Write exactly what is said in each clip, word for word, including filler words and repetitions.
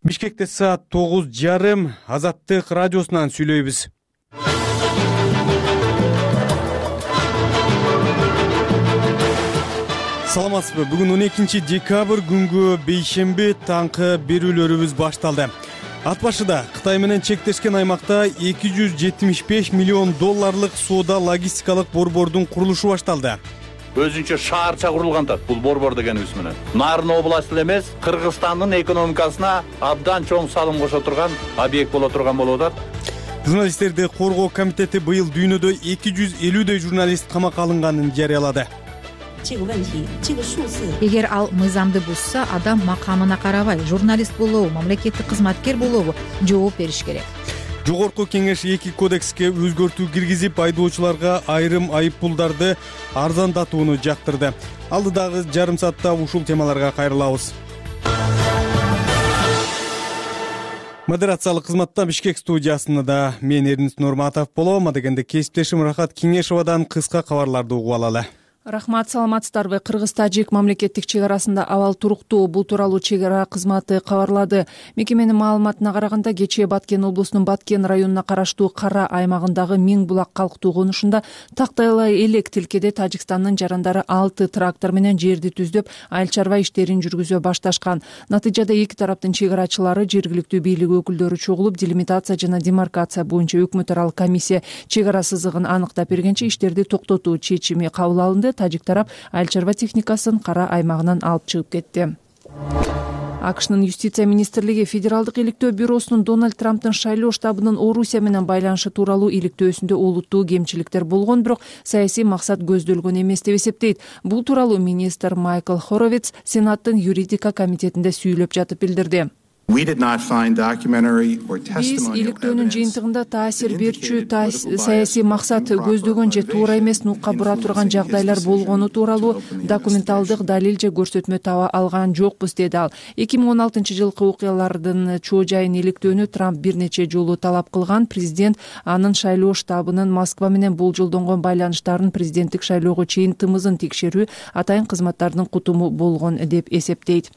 Бишкекте саат тогуз жарым. Азаттык радиосунан сүйлөйбүз. Саламатсызбы? Бүгүн он экинчи декабрь күнгү бейшемби таңкы берүүлөрүбүз башталды. Ат башыда Кытай менен чектешкен аймакта эки жүз жетимиш беш миллион долларлык соода логистикалык борбордун курулушу башталды. Өзүнчө шаарча курулган да бул борбор дегенибиз менен. Нарын областы эле эмес, Кыргызстандын экономикасына абдан чоң салым кошо турган объект боло турган болуп атат. Журналисттерди коргоо комитети быйыл дүйнөдө эки жүз элүүдөй журналист камакка алынганын жарыялады. Эгер ал мыйзамды бузса, адам макамына карабай, журналист болобу, мамлекеттик кызматкер болобу, жооп бериш керек. Жогорку кеңеш эки кодекске өзгөртүү киргизип, айдоочуларга айрым айыппулдарды арзандатууну жактырды. Алдыдагы жарым саатта ушул темаларга кайрылабыз. Модерациялык кызматта Бишкек студиясында мен Эрнис Нурматов болом. Адегенде кесиптешим Рахат Кеңешовадан кыска кабарларды угуп алалы. Рахмат, саламатсыздарбы? Кыргыз-Тажик мамлекеттик чек арасында абал туруктуу. Бул тууралуу чек ара кызматы кабарлады. Мекеменин маалыматына караганда, кечээ Баткен облусунун Баткен районуна караштуу Кара аймагындагы Миң булак калктуу конушунда тактайлай элек тилкеде Тажикстандын жарандары алты трактор менен жерди түздөп, айыл чарба иштерин жүргүзө башташкан. Натыйжада эки тараптын чек арачылары, жергиликтүү бийлик өкүлдөрү чогулуп, делимитация жана демаркация боюнча өкмөт аралык комиссия чек ара сызыгын аныктап бергенче иштерди токтотуу чечими кабыл алынды. Тажик тарап айыл чарба техникасын Кара аймагынан алып чыгып кетти. АКШнын юстиция министрлиги Федералдык иликтөө бюросунун Дональд Трамптын шайлоо штабынын Орусия менен байланышы тууралуу иликтөөсүндө олуттуу кемчиликтер болгон, бирок саясий максат көздөлгөн эмес деп эсептейт. Бул тууралуу министр Майкл Хоровиц Сенаттын юридика комитетинде сүйлөп жатып билдирди. Биз иликтөөнүн жыйынтыгында таасир берчү саясий максат көздөгөн же туура эмес нукка бура турган жагдайлар болгону тууралуу документалдык далил же көрсөтмө таба алган жокпуз, деди ал. эки миң он алтынчы жылкы окуялардын чоо жайын иликтөөнү Трамп бир нече жолу талап кылган. Президент анын шайлоо штабынын Москва менен болжолдонгон байланыштарын президенттик шайлоого чейин тымызын текшерүү атайын кызматтардын кутуму болгон деп эсептейт.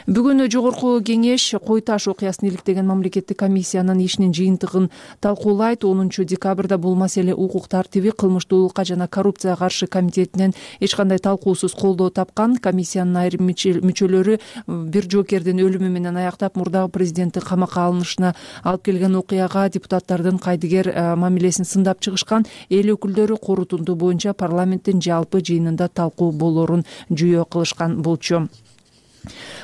Бүгүн жогорку кеңеш Кой Таш окуясын иликтеген мамлекеттик комиссиянын ишинин жыйынтыгын талкуулайт. онунчу декабрда бул маселе укук тартиби, кылмыштуулукка жана коррупцияга каршы комитетинен эч кандай талкуусуз колдоо тапкан. Комиссиянын айрым мүчөлөрү бир жоокердин өлүмү менен аяктап, мурдагы президенттин камакка алынышына алып келген окуяга депутаттардын кайдыгер мамилесин сындап чыгышкан. Эл өкүлдөрү корутунду боюнча парламенттин жалпы жыйынында талкуу болорун жүйө кылышкан болчу.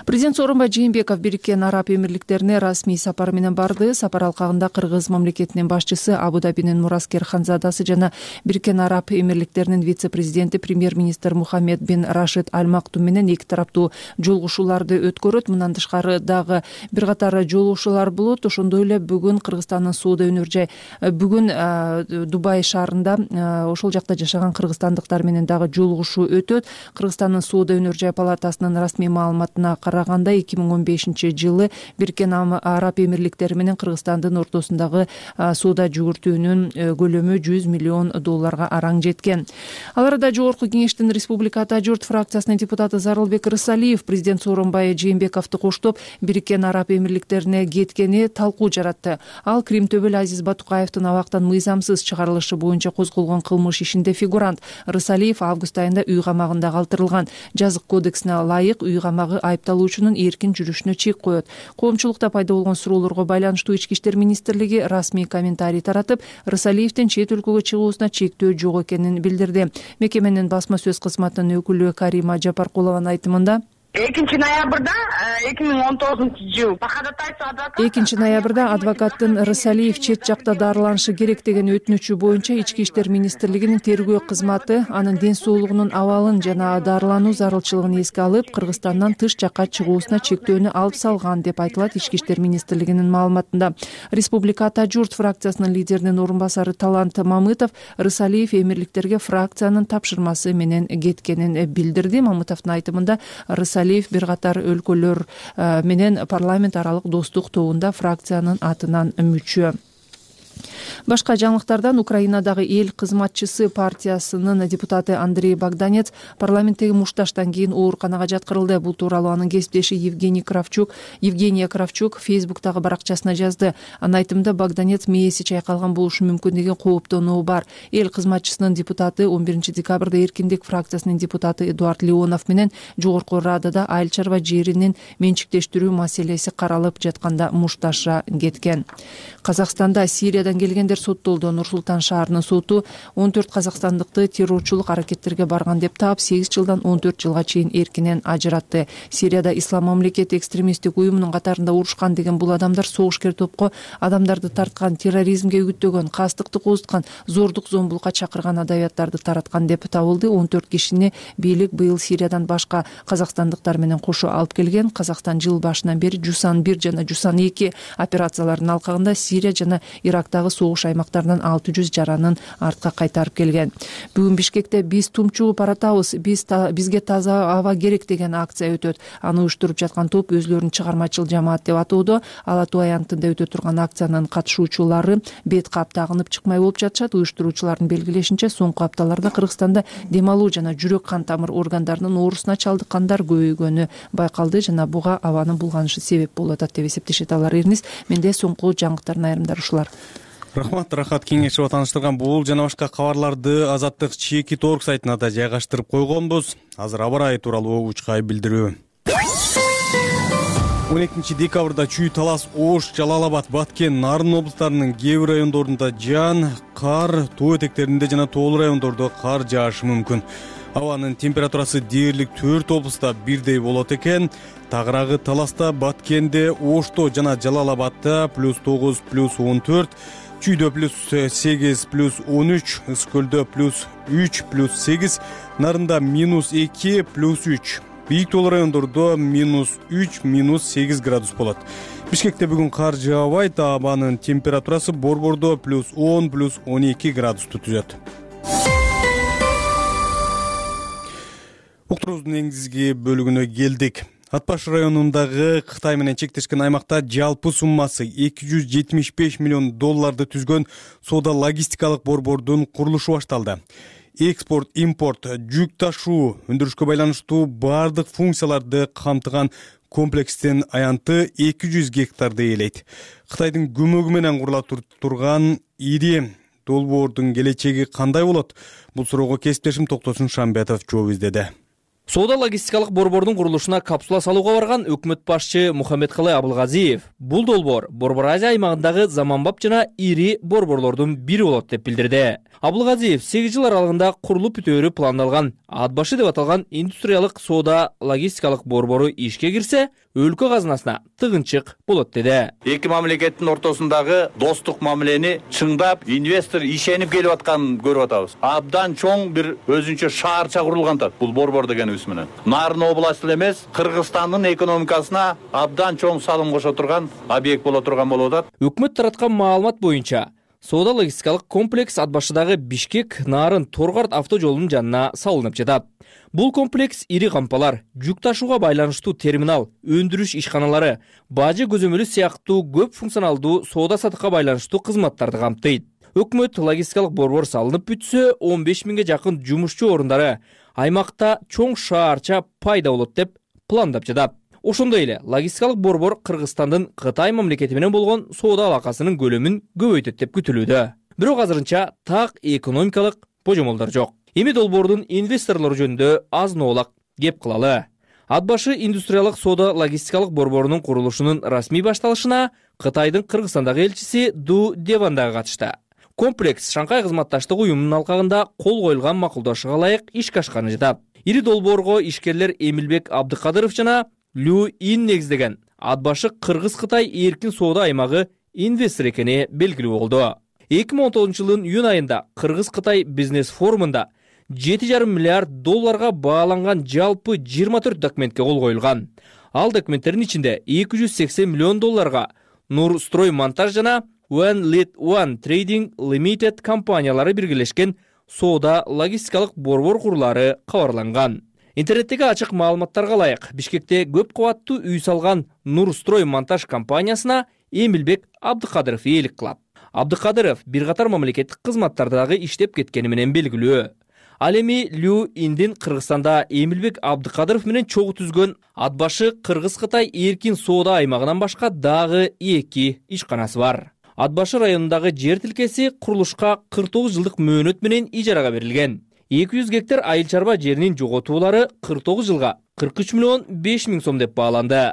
Президент Сооронбай Жээнбеков Бириккен Араб Эмирликтерине расмий сапар менен барды. Сапар алкагында Кыргыз мамлекетинин башчысы, Абу-Дабинин Мураскер ханзадасы жана Бириккен Араб Эмирликтеринин вице-президенти премьер-министр Мухаммед бин Рашид Аль Мактум менен эки тараптуу жолугушууларды өткөрөт. Мындан тышкары дагы бир катар жолугушуулар болот. Ошондой эле бүгүн Кыргызстандын соода өнөр жай бүгүн Дубай шаарында ошол жакта жашаган кыргызстандыктар менен дагы жолугушуу өтөт. Кыргызстандын соода өнөр жай палатасынын расмий маалыматына караганда эки миң он бешинчи жылы Бириккен Араб Эмирликтери менен Кыргызстандын ортосундагы соода жүгүртүүнүн көлөмү жүз миллион долларга араң жеткен. Ал арада жогорку кеңештин Республика Ата журт фракциясынын депутаты Зарылбек Рысалиев президент Сооронбай Жээнбековду коштоп Бириккен Араб Эмирликтерине кеткени талкуу жаратты. Ал Крим төбөл Азиз Батукаевдин абактан мыйзамсыз чыгарылышы боюнча козголгон кылмыш ишинде фигурант. Рысалиев август айында үй камагында калтырылган. Жазык кодексине ылайык үй камагы айыпталуучунун эркин жүрүшүнө чек коет. Коомчулукта пайда болгон суроолорго байланыштуу Ички иштер министрлиги расмий комментарий таратып, Рысалиевдин чет өлкөгө чыгуусуна чектөө жок экенин билдирди. Мекеменин басма сөз кызматынын өкүлү Карима Жапаркулованын айтымында экинчи ноябрда эки миң он тогузунчу жыл экинчи ноябрда адвокаттын Рысалиев чет жакта дарыланышы керек деген өтүнүчү боюнча Ички иштер министрлигинин тергөө кызматы анын ден соолугунун абалын жана дарылануу зарылчылыгын эске алып, Кыргызстандан тыш жакка чыгуусуна чектөөнү алып салган деп айтылат Ички иштер министрлигинин маалыматында. Республика Ата журт фракциясынын лидеринин орун басары Талант Мамытов Рысалиев эмирликтерге фракциянын тапшырмасы менен кеткенин билдирди. Мамытовдун айтымында Рысалиев бир катар өлкөлөр менен парламент аралык достук тобунда фракциянын атынан мүчө. Башка жаңылыктардан Украинадагы эл кызматчысы партиясынын депутаты Андрей Богданец парламенттеги мушташтан кийин ооруканага жаткырылды. Бул тууралуу анын кесиптеши Евгений Кравчук, Евгения Кравчук Фейсбуктагы баракчасына жазды. Анын айтымында Богданец мээси чайкалган болушу мүмкүн деген кооптонуу бар. Эл кызматчысынын депутаты он биринчи декабрда Эркиндик фракциясынын депутаты Эдуард Леонов менен Жогорку Радада айыл чарба жеринин менчиктештирүү маселеси каралып жатканда мушташа кеткен. Казакстанда Сириядан келгендер соттолду. Нур-Султан шаарынын соту он төрт казакстандыкты террорчулук аракеттерге барган деп таап, сегиз жылдан он төрт жылга чейин эркинен ажыратты. Сирияда Ислам мамлекети экстремисттик уюмунун катарында урушкан деген бул адамдар согушкер топко адамдарды тарткан, терроризмге үгүттөгөн, кастыкты козуткан, зордук зомбулукка чакырган адабияттарды тараткан деп табылды. он төрт кишини бийлик быйыл Сириядан башка казакстандыктар менен кошо алып келген. Казакстан жыл башынан бери Жусан бир жана Жусан эки операцияларынын алкагында Сирия жана Ирактагы согуш аймактарынан алты жүз жаранын артка кайтарып келген. Бүгүн Бишкекте биз тумчугуп баратабыз, биз та, бизге таза аба керек деген акция өтөт. Аны уюштуруп жаткан топ өзлөрүн чыгармачыл жамаат деп атоодо. Ала Тоо аянтында өтө турган акциянын катышуучулары бет кап тагынып чыкмай болуп жатышат. Уюштуруучулардын белгилешинче, соңку апталарда Кыргызстанда дем алуу жана жүрөк кан тамыр органдарынын оорусуна чалдыккандар көбөйгөнү байкалды жана буга абанын булганышы себеп болуп атат деп эсептешет алар. Эрниз, менде соңку жаңылыктардын айрымдары ушулар. Рахмат, Рахат Кеңешова тааныштырган бул жана башка кабарларды Азаттык чекит точка орг сайтына да жайгаштырып койгонбуз. Азыр аба ырайы тууралуу учкай билдирүү. он экинчи декабрда Чүй, Талас, Ош, Жалал Абад, Баткен, Нарын облустарынын кээ бир райондорунда жаан, кар, тоо этектеринде жана тоолуу райондордо кар жаашы мүмкүн. Абанын температурасы дээрлик төрт облуста бирдей болот экен. Тагыраагы Таласта, Баткенде, Ошто жана Жалал Абадда плюс тогуз, плюс он төрт, Чүйдө плюс сегиз, плюс он үч, Ыскөлдө плюс үч, плюс сегиз, Нарында минус эки, плюс үч. Бийик тоолуу райондордо минус үч, минус сегиз градус болот. Бишкекте бүгүн кар жаабайт, абанын температурасы Борбордо плюс он, плюс он эки градусту түзөт. Уктуруубуздун негизги бөлүгүнө келдик. Ат баш районундагы Кытай менен чектешкен аймакта жалпы суммасы эки жүз жетимиш беш миллион долларды түзгөн соода логистикалык борбордун курулушу башталды. Экспорт, импорт, жүк ташуу, өндүрүшкө байланыштуу бардык функцияларды камтыган комплекстин аянты эки жүз гектарды ээлейт. Кытайдын көмөгү менен курула турган ири долбоордун келечеги кандай болот? Бул суроого кесиптешим Токтосун Шамбетов жооп издеди. Соода логистикалык борбордун курулушуна капсула салууга барган өкмөт башчы Мухаммедкалый Абылгазиев бул долбоор Борбор Азия аймагындагы заманбап жана ири борборлордун бири болот деп билдирди. Абылгазиев сегиз жыл аралыгында курулуп бүтөөрү пландалган ат башы деп аталган индустриялык соода логистикалык борбору ишке кирсе, өлкө казынасына тыгынчык болот деди. Эки мамлекеттин ортосундагы достук мамилени чыңдап, инвестор ишенип келип атканын көрүп атабыз. Абдан чоң бир өзүнчө шаарча курулган тат бул борбор дегенибиз менен. Нарын областы эмес, Кыргызстандын экономикасына абдан чоң салым кошо турган объект боло турган болуп атат. Өкмөт тараткан маалымат боюнча соода логистикалык комплекс ат башыдагы Бишкек Нарын Торгарт автожолунун жанына салынып жатат. Бул комплекс ири кампалар, жүк ташууга байланыштуу терминал, өндүрүш ишканалары, бажы көзөмөлү сыяктуу көп функционалдуу соода сатыкка байланыштуу кызматтарды камтыйт. Өкмөт логистикалык борбор салынып бүтсө, он беш миңге жакын жумушчу орундары аймакта чоң шаарча пайда болот деп пландап жатат. Ошондой эле логистикалык борбор Кыргызстандын Кытай мамлекети менен болгон соода алакасынын көлөмүн көбөйтөт деп күтүлүүдө. Бирок азырынча так экономикалык божомолдор жок. Эми долбоордун инвесторлору жөнүндө азын-оолак кеп кылалы. Ат башы индустриялык соода логистикалык борборунун курулушунун расмий башталышына Кытайдын Кыргызстандагы элчиси Ду Деван да катышты. Комплекс Шанхай кызматташтык уюмунун алкагында кол коюлган макулдашууга ылайык ишке ашканы жатат. Ири долбоорго ишкерлер Эмилбек Абдыкадыров жана Лю Ин негиздеген ат башы Кыргыз-Кытай эркин соода аймагы инвестор экени белгилүү болду. эки миң он тогузунчу жылдын июнь айында Кыргыз-Кытай бизнес форумунда жети жарым миллиард долларга бааланган жалпы жыйырма төрт документке кол коюлган. Ал документтердин ичинде эки жүз сексен миллион долларга Нур Строй Монтаж жана One Lead One Trading Limited компаниялары биргелешкен соода логистикалык борбор курулары кабарланган. Интернеттеги ачык маалыматтарга ылайык Бишкекте көп кабаттуу үй салган Нур Строй Монтаж компаниясына Эмилбек Абдыкадыров ээлик кылат. Абдыкадыров бир катар мамлекеттик кызматтарда дагы иштеп кеткени менен белгилүү. Ал эми Лю Индин Кыргызстанда Эмилбек Абдыкадыров менен чогуу түзгөн ат башы Кыргыз-Кытай эркин соода аймагынан башка дагы эки ишканасы бар. Ат башы районундагы жер тилкеси курулушка кырк тогуз жылдык мөөнөт менен ижарага берилген. эки жүз гектар айыл чарба жеринин жоготуулары кырк тогуз жылга кырк үч миллион беш миң сом деп бааланды.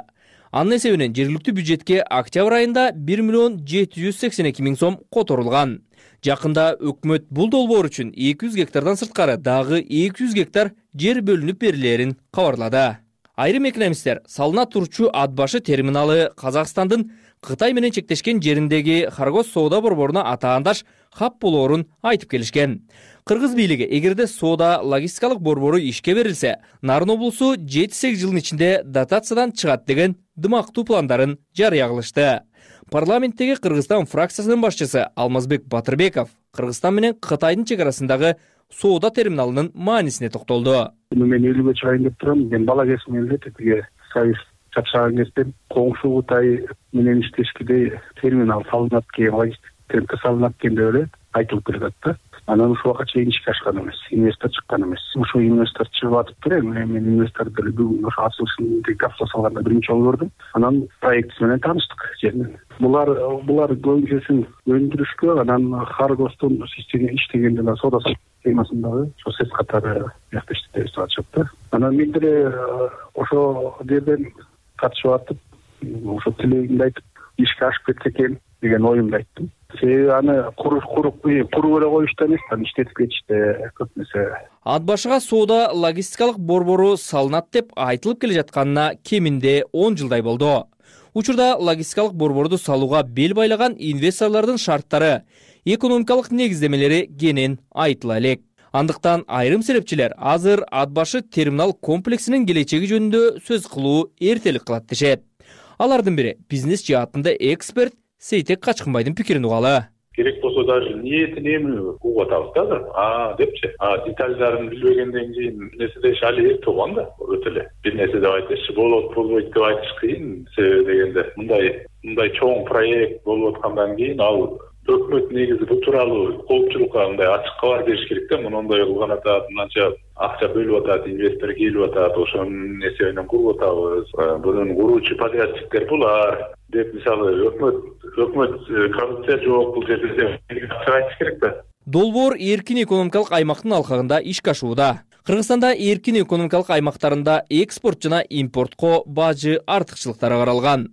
Анын эсебинен жергиликтүү бюджетке октябрь айында бир миллион жети жүз сексен эки миң сом которулган. Жакында өкмөт бул долбоор үчүн эки жүз гектардан сырткары дагы эки жүз гектар жер бөлүнүп берилерин кабарлады. Айрым экономисттер салына турчу ат башы терминалы Казакстандын Кытай менен чектешкен жериндеги Харгос соода борборуна атаандаш хаб болоорун айтып келишкен. Кыргыз бийлиги эгерде соода логистикалык борбору ишке берилсе, Нарын облусу жети сегиз жылдын ичинде дотациядан чыгат деген дымактуу пландарын жарыя кылышты. Парламенттеги Кыргызстан фракциясынын башчысы Алмазбек Батырбеков Кыргызстан менен Кытайдын чек арасындагы соода терминалынын маанисине токтолду. Мен үйлүгө чыгайын деп турам. Мен бала кезимден эле тиге сайыс чапшаган кезде коңшу Кытай менен иштешкиде терминал салынат экен, логистика салынат экен деп эле айтылып келет да. Анан ушул убакка чейин ишке ашкан эмес, инвестор чыккан эмес. Ушул инвестор чыгып атып эле, мен инвесторду бүгүн ошо ачылышында капсула салганда биринчи жолу көрдүм. Анан проектisi менен тааныштык жеринен. Булар булар көбүнчөсүн өндүрүшкө, анан Харгостун системасында иштеген жана соода системасындагы ошо сес катары бияқта иштеп жатышат да. Анан мен деле ошо жерден катышып атып, ошо тилегимди айтып, ишке ашып кетсе экен деген оюмду айттым. Себеби аны куруп куруп куруп эле коюшту эмес, аны иштетип кетиште көп нерсе. Ат башыга соода логистикалык борбору салынат деп айтылып келе жатканына кеминде он жылдай болду. Учурда логистикалык борборду салууга бел байлаган инвесторлордун шарттары, экономикалык негиздемелери кенен айтыла элек. Андыктан айрым серепчилер азыр ат башы терминал комплексинин келечеги жөнүндө сөз кылуу эртелик кылат дешет. Алардын бири бизнес жаатында эксперт Сейтек Качкынбайдын пикирин угалы. Керек болсо даже ниетин эми угуп атабыз да. А депчи, а детальдарын билбегенден кийин нерседе шали эрте болгон да, өтө эле. Бир нерсе деп айтышчы, болот, болбойт деп айтыш кыйын, себеби дегенде мындай мындай чоң проект болуп аткандан кийин ал өкмөт негизи бул тууралуу коопчулукка мындай ачык кабар бериш керек да. Мындай кылган атат, мынанча акча бөлүп атат, инвестор келип атат, ошонун эсебинен куруп атабыз. Бунун куруучу подрядчиктер булар деп мисалы өкмөт өкмөт коррупция жок бул жерде деп айтыш керек да. Долбоор эркин экономикалык аймактын алкагында ишке ашууда. Кыргызстанда эркин экономикалык аймактарында экспорт жана импортко бажы артыкчылыктары каралган.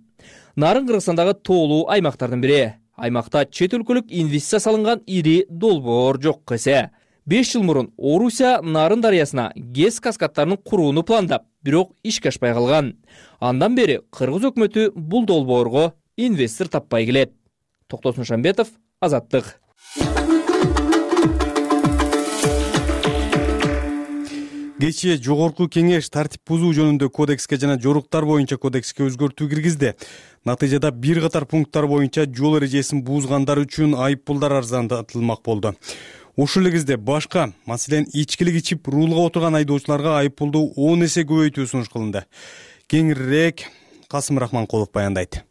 Нарын Кыргызстандагы тоолуу аймактардын бири. Аймакта чет өлкөлүк инвестиция салынган ири долбоор жок эсе. беш жыл мурун Орусия Нарын дарыясына ГЭС каскадтарын курууну пландап, бирок ишке ашпай калган. Андан бери Кыргыз өкмөтү бул долбоорго инвестор таппай келет. Токтосун Шамбетов, Азаттык. Кечээ жогорку кеңеш тартип бузуу жөнүндө кодекске жана жоруктар боюнча кодекске өзгөртүү киргизди. Натыйжада бир катар пункттар боюнча жол эрежесин бузгандар үчүн айып пулдар арзандатылмак болду. Ушул эле кезде башка, маселен, ичкилик ичип рулга отурган айдоочуларга айып пулду он эсе көбөйтүү сунуш кылынды. Кеңирээк Касым Рахманкулов баяндайт.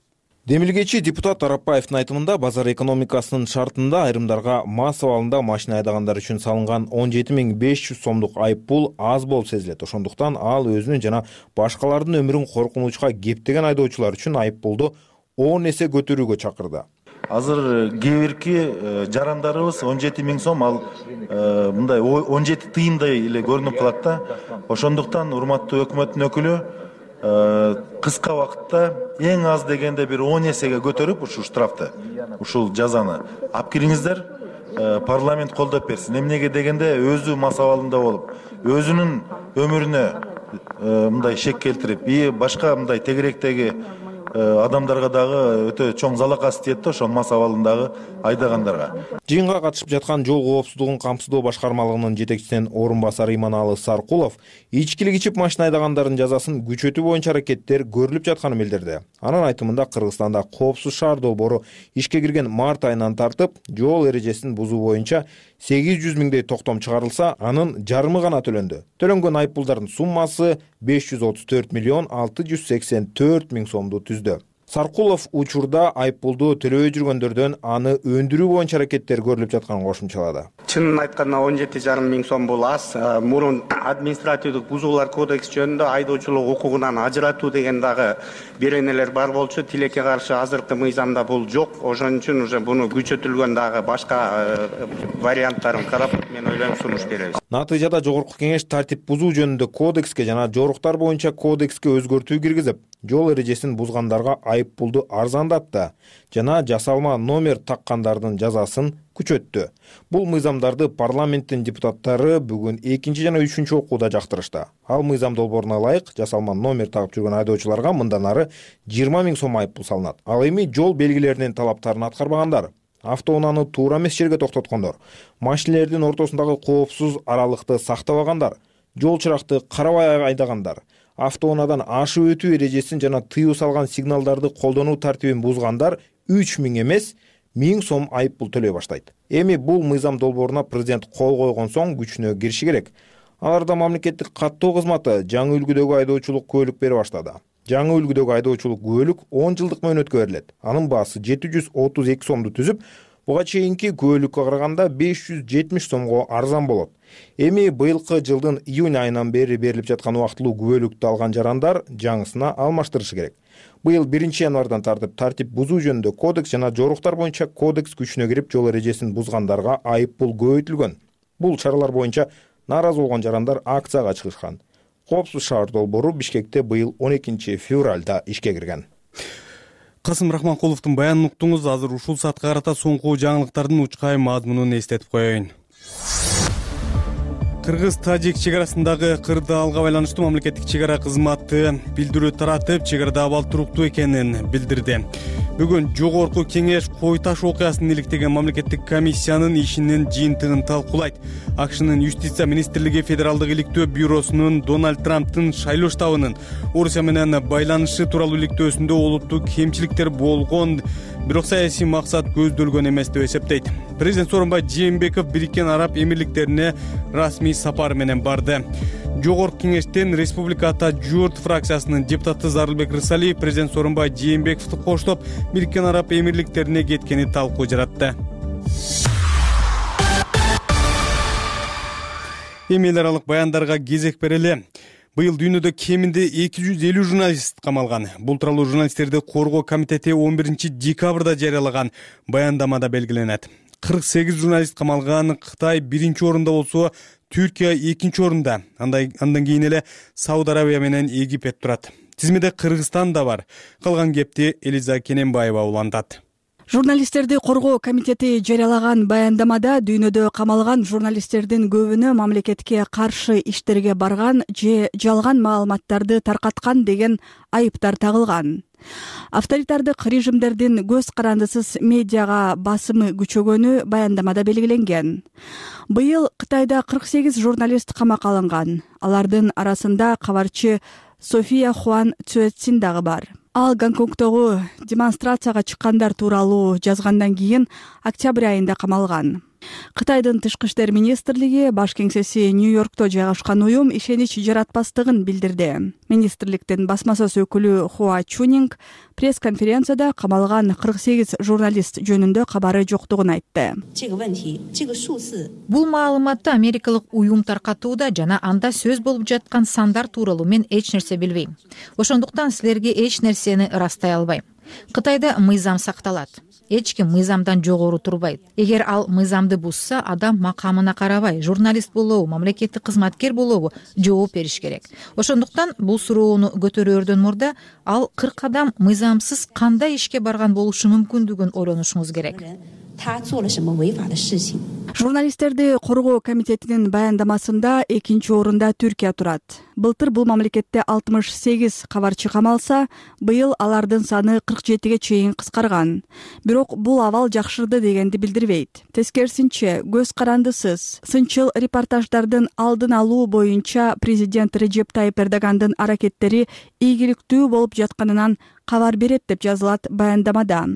Демилгечи депутат Арапбаевдин айтымында базар экономикасынын шартында айрымдарга мас абалында машина айдагандар үчүн салынган он жети миң беш жүз сомдук айып пул аз болуп сезилет. Ошондуктан ал өзүнүн жана башкалардын өмүрүн коркунучка кептеген айдоочулар үчүн айып пулду он эсе көтөрүүгө чакырды. Азыр кээ бирки жарандарыбыз он жети миң сом, ал мындай он жети тыйындай эле көрүнүп калат да. Ошондуктан урматтуу өкмөттүн өкүлү кыска убакытта эң аз дегенде бир он эсеге көтөрүп ушул штрафты, ушул жазаны алып кириңиздер, парламент колдоп берсин. Эмнеге дегенде өзү мас абалында болуп, өзүнүн өмүрүнө мындай шек келтирип, и башка мындай тегеректеги адамдарга дагы өтө чоң залакасы тиет да, ошол мас абалындагы айдагандарга. Жыйынга катышып жаткан жол коопсуздугун камсыздоо башкармалыгынын жетекчисинин орун басары Иманалы Саркулов ичкилик ичип машина айдагандардын жазасын күчөтүү боюнча аракеттер көрүлүп жатканын билдирди. Анын айтымында Кыргызстанда коопсуз шаар долбоору ишке кирген март айынан тартып, жол эрежесин бузуу боюнча сегиз жүз миңдей токтом чыгарылса, анын жарымы гана төлөндү. Төлөнгөн айып пулдардын суммасы беш жүз отуз төрт миллион алты жүз сексен төрт миң сомду түздү. Саркулов учурда айыппулду төлөбөй жүргөндөрдөн аны өндүрүү боюнча аракеттер көрүлүп жатканын кошумчалады. Чынын айтканда он жети жарым миң сом бул аз. Мурун административдик бузуулар кодекс жөнүндө айдоочулук укугунан ажыратуу деген дагы беренелер бар болчу. Тилекке каршы азыркы мыйзамда бул жок. Ошон үчүн уже буну күчөтүлгөн дагы башка варианттарын карап мен ойлойм сунуш беребиз. Натыйжада жогорку кеңеш тартип бузуу жөнүндө кодекске жана жоруктар боюнча кодекске өзгөртүү киргизип, жол эрежесин бузгандарга айыппулду арзандатты жана жасалма номер таккандардын жазасын күчөттү. Бул мыйзамдарды парламенттин депутаттары бүгүн экинчи жана үчүнчү окууда жактырышты. Ал мыйзам долбооруна ылайык жасалма номер тагып жүргөн айдоочуларга мындан ары жыйырма миң сом айыппул салынат. Ал эми жол белгилеринин талаптарын аткарбагандар, автоунааны туура эмес жерге токтоткондор, машинелердин ортосундагы коопсуз аралыкты сактабагандар, жол чыракты карабай айдагандар, автоунаадан ашып өтүү эрежесин жана тыюу салган сигналдарды колдонуу тартибин бузгандар үч миң эмес миң сом айыппул төлөй баштайт. Эми бул мыйзам долбооруна президент кол койгон соң күчүнө кириши керек. Аларда мамлекеттик каттоо кызматы жаңы үлгүдөгү айдоочулук күбөлүк бере баштады. Жаңы үлгүдөгү айдоочулук күбөлүк он жылдык мөөнөткө берилет. Анын баасы жети жүз отуз эки сомду түзүп, буга чейинки күбөлүккө караганда беш жүз жетимиш сомго арзан болот. Эми быйылкы жылдын июнь айынан бери берилип жаткан убактылуу күбөлүктү алган жарандар жаңысына алмаштырышы керек. Быйыл биринчи январдан тартып тартип бузуу жөнүндө кодекс жана жоруктар боюнча кодекс күчүнө кирип, жол эрежесин бузгандарга айыппул көбөйтүлгөн. Бул чаралар боюнча нааразы болгон жарандар акцияга чыгышкан. Коопсуз шаар долбоору Бишкекте быйыл он экинчи февралда ишке кирген. Касым Рахманкуловдун баянын уктуңуз. Азыр ушул саатка карата соңку жаңылыктардын учкай мазмунун эстетип коеюн. Кыргыз-Тажик чек арасындагы кырдаалга байланыштуу мамлекеттик чек ара кызматы билдирүү таратып, чек арада абал туруктуу экенин билдирди. Бүгүн жогорку кеңеш Кой таш окуясын иликтеген мамлекеттик комиссиянын ишинин жыйынтыгын талкуулайт. АКШнын юстиция министрлиги федералдык иликтөө бюросунун Дональд Трамптын шайлоо штабынын Орусия менен байланышы тууралуу иликтөөсүндө олуттуу кемчиликтер болгон, бирок саясий максат көздөлгөн эмес деп эсептейт. Президент Сооронбай Жээнбеков Бириккен Араб Эмирликтерине расмий сапар менен барды. Жогорку кеңештен Республика Ата Журт фракциясынын депутаты Зарылбек Рысалиев президент Сооронбай Жээнбековду коштоп Бириккен Араб Эмирликтерине кеткени талкуу жаратты. Эми эл аралык баяндарга кезек берели. Быйыл дүйнөдө кеминде эки жүз элүү журналист камалган. Бул тууралуу журналисттерди коргоо комитети он биринчи декабрда жарыялаган баяндамада белгиленет. кырк сегиз журналист камалган. Кытай биринчи орунда болсо, Түркия экинчи орунда. Андан кийин эле Сауд Арабия менен Египет турат. Тизмеде Кыргызстан да бар. Калган кепти Элиза Кененбаева улантат. Журналисттерди коргоо комитети жарыялаган баяндамада дүйнөдө камалган журналисттердин көбүнө мамлекетке каршы иштерге барган же жалган маалыматтарды таркаткан деген айыптар тагылган. Авторитардык режимдердин көз карандысыз медиага басымы күчөгөнү баяндамада белгиленген. Быйыл Кытайда кырк сегиз журналист камакка алынган. Алардын арасында кабарчы София Хуан Цюэцин дагы бар. Ал Гонконгдогу демонстрацияга чыккандар тууралуу жазгандан кийин октябрь айында камалган. Кытайдын тышкы иштер министрлиги баш кеңсеси Нью-Йоркто жайгашкан уюм ишенич жаратпастыгын билдирди. Министрликтин басма сөз өкүлү Хуа Чунинг пресс-конференцияда камалган кырк сегиз журналист жөнүндө кабары жоктугун айтты. Бул маалыматты америкалык уюм таркатууда жана анда сөз болуп жаткан сандар тууралуу мен эч нерсе билбейм. Ошондуктан силерге эч нерсени ырастай албайм. Кытайда мыйзам сакталат. Эч ким мыйзамдан жогору турбайт. Эгер ал мыйзамды бузса, адам макамына карабай, журналист болобу, мамлекеттик кызматкер болобу жооп бериш керек. Ошондуктан бул суроону көтөрөөрдөн мурда ал кырк адам мыйзамсыз кандай ишке барган болушу мүмкүндүгүн ойлонушуңуз керек. Журналисттерди коргоо комитетинин баяндамасында экинчи орунда Түркия турат. Былтыр бул мамлекетте алтымыш сегиз кабарчы камалса, быйыл алардын саны кырк жетиге чейин кыскарган. Бирок бул абал жакшырды дегенди билдирбейт. Тескерисинче, көз карандысыз, сынчыл репортаждардын алдын алуу боюнча президент Режеп Тайып Эрдогандын аракеттери ийгиликтүү болуп жатканынан кабар берет деп жазылат баяндамада.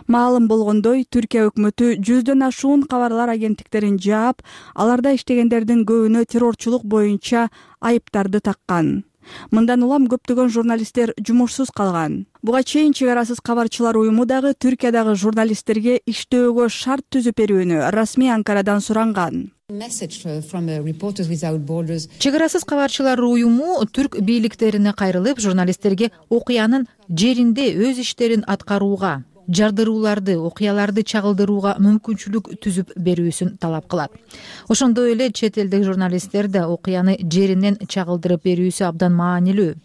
Маалым болгондой, Түркия өкмөтү жүздөн ашуун кабарлар агенттиктерин жаап, аларда иштегендердин көбүнө террорчулук боюнча айыптарды таккан. Мындан улам көптөгөн журналисттер жумушсуз калган. Буга чейин Чек арасыз кабарчылар уюму дагы Түркиядагы журналисттерге иштөөгө шарт түзүп берүүнү расмий Анкарадан суранган. Чек арасыз кабарчылар уюму түрк бийликтерине кайрылып, журналисттерге окуянын жеринде өз иштерин аткарууга, жардырууларды, окуяларды чагылдырууга мүмкүнчүлүк түзүп берүүсүн талап кылат. Ошондой эле чет элдик журналистер да окуяны жеринен чагылдырып берүүсү абдан маанилүү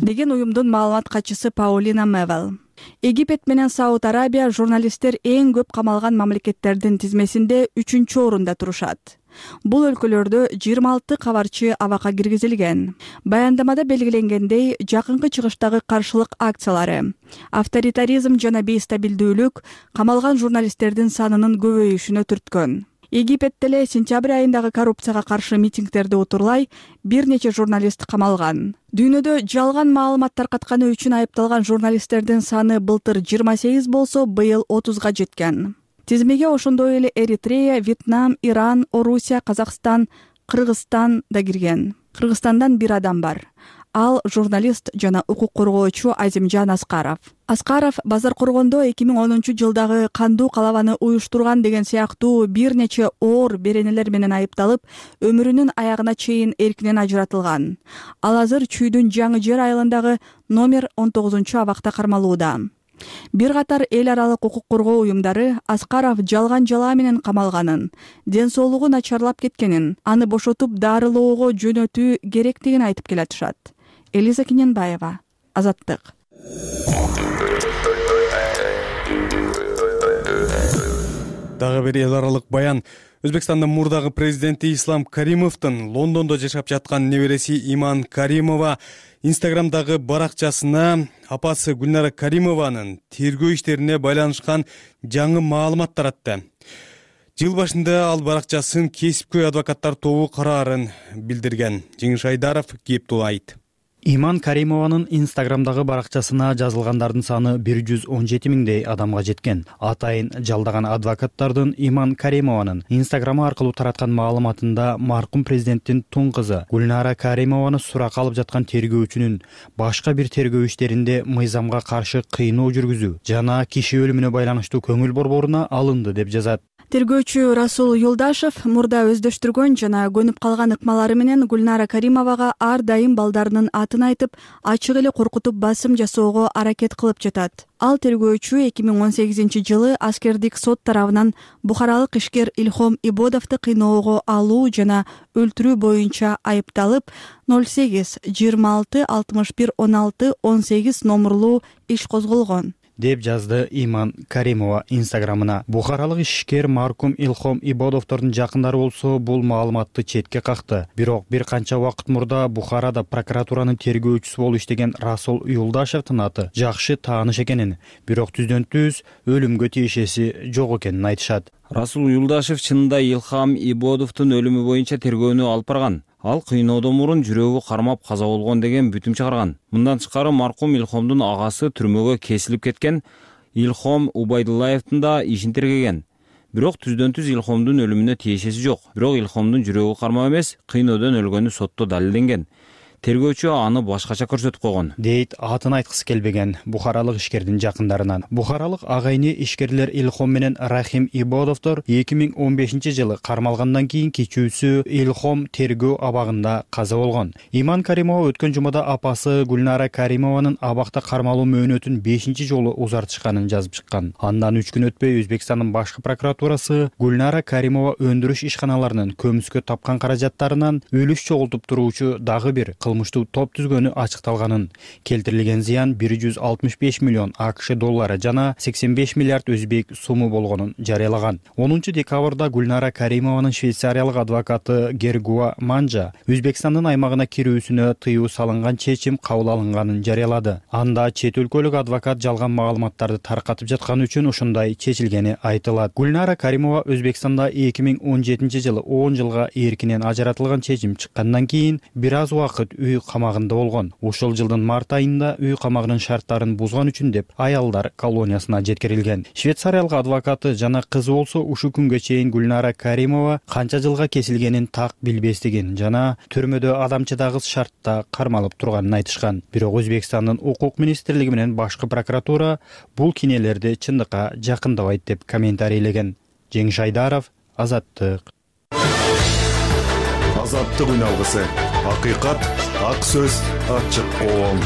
деген уюмдун маалымат катчысы Паулина Мевел. Египет менен Сауд Арабия журналисттер эң көп камалган мамлекеттердин тизмесинде үчүнчү орунда турушат. Бул өлкөлөрдө жыйырма алты кабарчы абакка киргизилген. Баяндамада белгиленгендей, жакынкы чыгыштагы каршылык акциялары, авторитаризм жана бейстабилдүүлүк камалган журналисттердин санынын көбөйүшүнө түрткөн. Египет деле сентябрь айындагы коррупцияга каршы митингдерди утурлай бир нече журналист камалган. Дүйнөдө жалган маалымат таркатканы үчүн айыпталган журналисттердин саны былтыр жыйырма сегиз болсо, быйыл отузга жеткен. Тизмеге ошондой эле Эритрея, Вьетнам, Иран, Орусия, Казакстан, Кыргызстан да кирген. Кыргызстандан бир адам бар. Ал журналист жана укук коргоочу Азимжан Аскаров. Аскаров Базар Коргондо эки миң онунчу жылдагы кандуу калабаны уюштурган деген сыяктуу бир нече оор беренелер менен айыпталып, өмүрүнүн аягына чейин эркинен ажыратылган. Ал азыр Чүйдүн Жаңы Жер айылындагы номер он тогузунчу абакта кармалууда. Бир катар эл аралык укук коргоо уюмдары Аскаров жалган жалаа менен камалганын, ден соолугу начарлап кеткенин, аны бошотуп дарылоого жөнөтүү керектигин айтып келатышат. Элиза Киненбаева, Азаттык. Дагы бир эл аралык баян. Өзбекстандын мурдагы президенти Ислам Каримовдун Лондондо жашап жаткан небереси Иман Каримова Инстаграмдагы баракчасына апасы Гүлнара Каримованын тергөө иштерине байланышкан жаңы маалымат таратты. Жыл башында ал баракчасын кесипкөй адвокаттар тобу караарын билдирген. Жеңиш Айдаров кептулайт. Иман Каримованын Инстаграмдагы баракчасына жазылгандардын саны бир жүз он жети миңдей адамга жеткен. Атайын жалдаган адвокаттардын Иман Каримованын Инстаграмы аркылуу тараткан маалыматында маркум президенттин тун кызы Гүлнара Каримованы суракка алып жаткан тергөөчүнүн башка бир тергөө иштеринде мыйзамга каршы кыйноо жүргүзүү жана киши өлүмүнө байланыштуу көңүл борборуна алынды деп жазат. Тергөөчү Расул Юлдашев мурда өздөштүргөн жана көнүп калган ыкмалары менен Гүлнара Каримовага ар дайым балдарынын атын айтып, ачык эле коркутуп басым жасоого аракет кылып жатат. Ал тергөөчү эки миң он сегизинчи жылы аскердик сот тарабынан бухаралык ишкер Илхом Ибодовду кыйноого алуу жана өлтүрүү боюнча айыпталып, ноль сегиз жыйырма алты алтымыш бир он алты он сегиз номурлуу иш козголгон деп жазды Иман Каримова Инстаграмына. Бухаралык ишкер маркум Илхом Ибодовдордун жакындары болсо бул маалыматты четке какты. Бирок бир канча убакыт мурда Бухарада прокуратуранын тергөөчүсү болуп иштеген Расул Юлдашевдин аты жакшы тааныш экенин, бирок түздөн түз өлүмгө тиешеси жок экенин айтышат. Расул Юлдашев чынында Илхам Ибодовдун өлүмү боюнча тергөөнү алып барган. Ал кыйноодон мурун жүрөгү кармап каза болгон деген бүтүм чыгарган. Мындан тышкары маркум Илхомдун агасы түрмөгө кесилип кеткен Илхом Убайдуллаевдин да ишин тергеген. Бирок түздөн түз Илхомдун өлүмүнө тиешеси жок. Бирок Илхомдун жүрөгү кармап эмес, кыйноодон өлгөнү сотто далилденген. Тергөөчү аны башкача көрсөтүп койгон. Дейт атын айткысы келбеген бухаралык ишкердин жакындарынан. Бухаралык агайны ишкерлер Илхом менен Рахим Ибодовдор эки миң он бешинчи жылы кармалгандан кийин кичүүсү Илхом тергөө абагында каза болгон. Иман Каримова өткөн жумада апасы Гүлнара Каримованын абакта кармалуу мөөнөтүн бешинчи жолу узартышканын жазып чыккан. Андан үч күн өтпөй Өзбекстандын башкы прокуратурасы Гүлнара Каримова өндүрүш ишканаларынын көмүскө тапкан каражаттарынан үлүш чогултуп туруучу дагы бир кылмыштуу топ түзгөнү ачыкталганын, келтирилген зыян бир жүз алтымыш беш миллион АКШ доллары жана сексен беш миллиард өзбек суму болгонун жарыялаган. онунчу декабрда Гүлнара Каримованын швейцариялык адвокаты Гергуа Манжа Өзбекстандын аймагына кирүүсүнө тыюу салынган чечим кабыл алынганын жарыялады. Анда чет өлкөлүк адвокат жалган маалыматтарды таркатып жатканы үчүн ошондой чечилгени айтылат. Гүлнара Каримова Өзбекстанда эки миң он жетинчи жылы он жылга эркинен ажыратылган чечим чыккандан кийин бир аз убакыт үй камагында болгон. Ушул жылдын март айында үй камагынын шарттарын бузган үчүн деп аялдар колониясына жеткирилген. Швейцариялык адвокаты жана кызы болсо ушул күнгө чейин Гүлнара Каримова канча жылга кесилгенин так билбестигин жана түрмөдө адамчыдагыс шартта кармалып турганын айтышкан. Бирок Өзбекстандын укук министрлиги менен башкы прокуратура бул кинелерди чындыкка жакындабайт деп комментарийлеген. Жеңиш Айдаров, Азаттык. Азаттык үн алгысы. Акыйкат, ак сөз, ачык коом.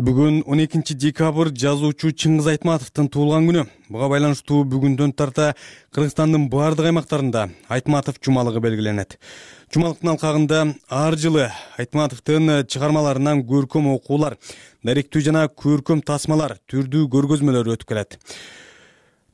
Бүгүн он экинчи декабрь жазуучу Чыңгыз Айтматовдун туулган күнү. Буга байланыштуу бүгүндөн тарта Кыргызстандын бардык аймактарында Айтматов жумалыгы белгиленет. Жумалыктын алкагында ар жылы Айтматовдун чыгармаларынан көркөм окуулар, даректүү жана көркөм тасмалар, түрдүү көргөзмөлөр өтүп келет.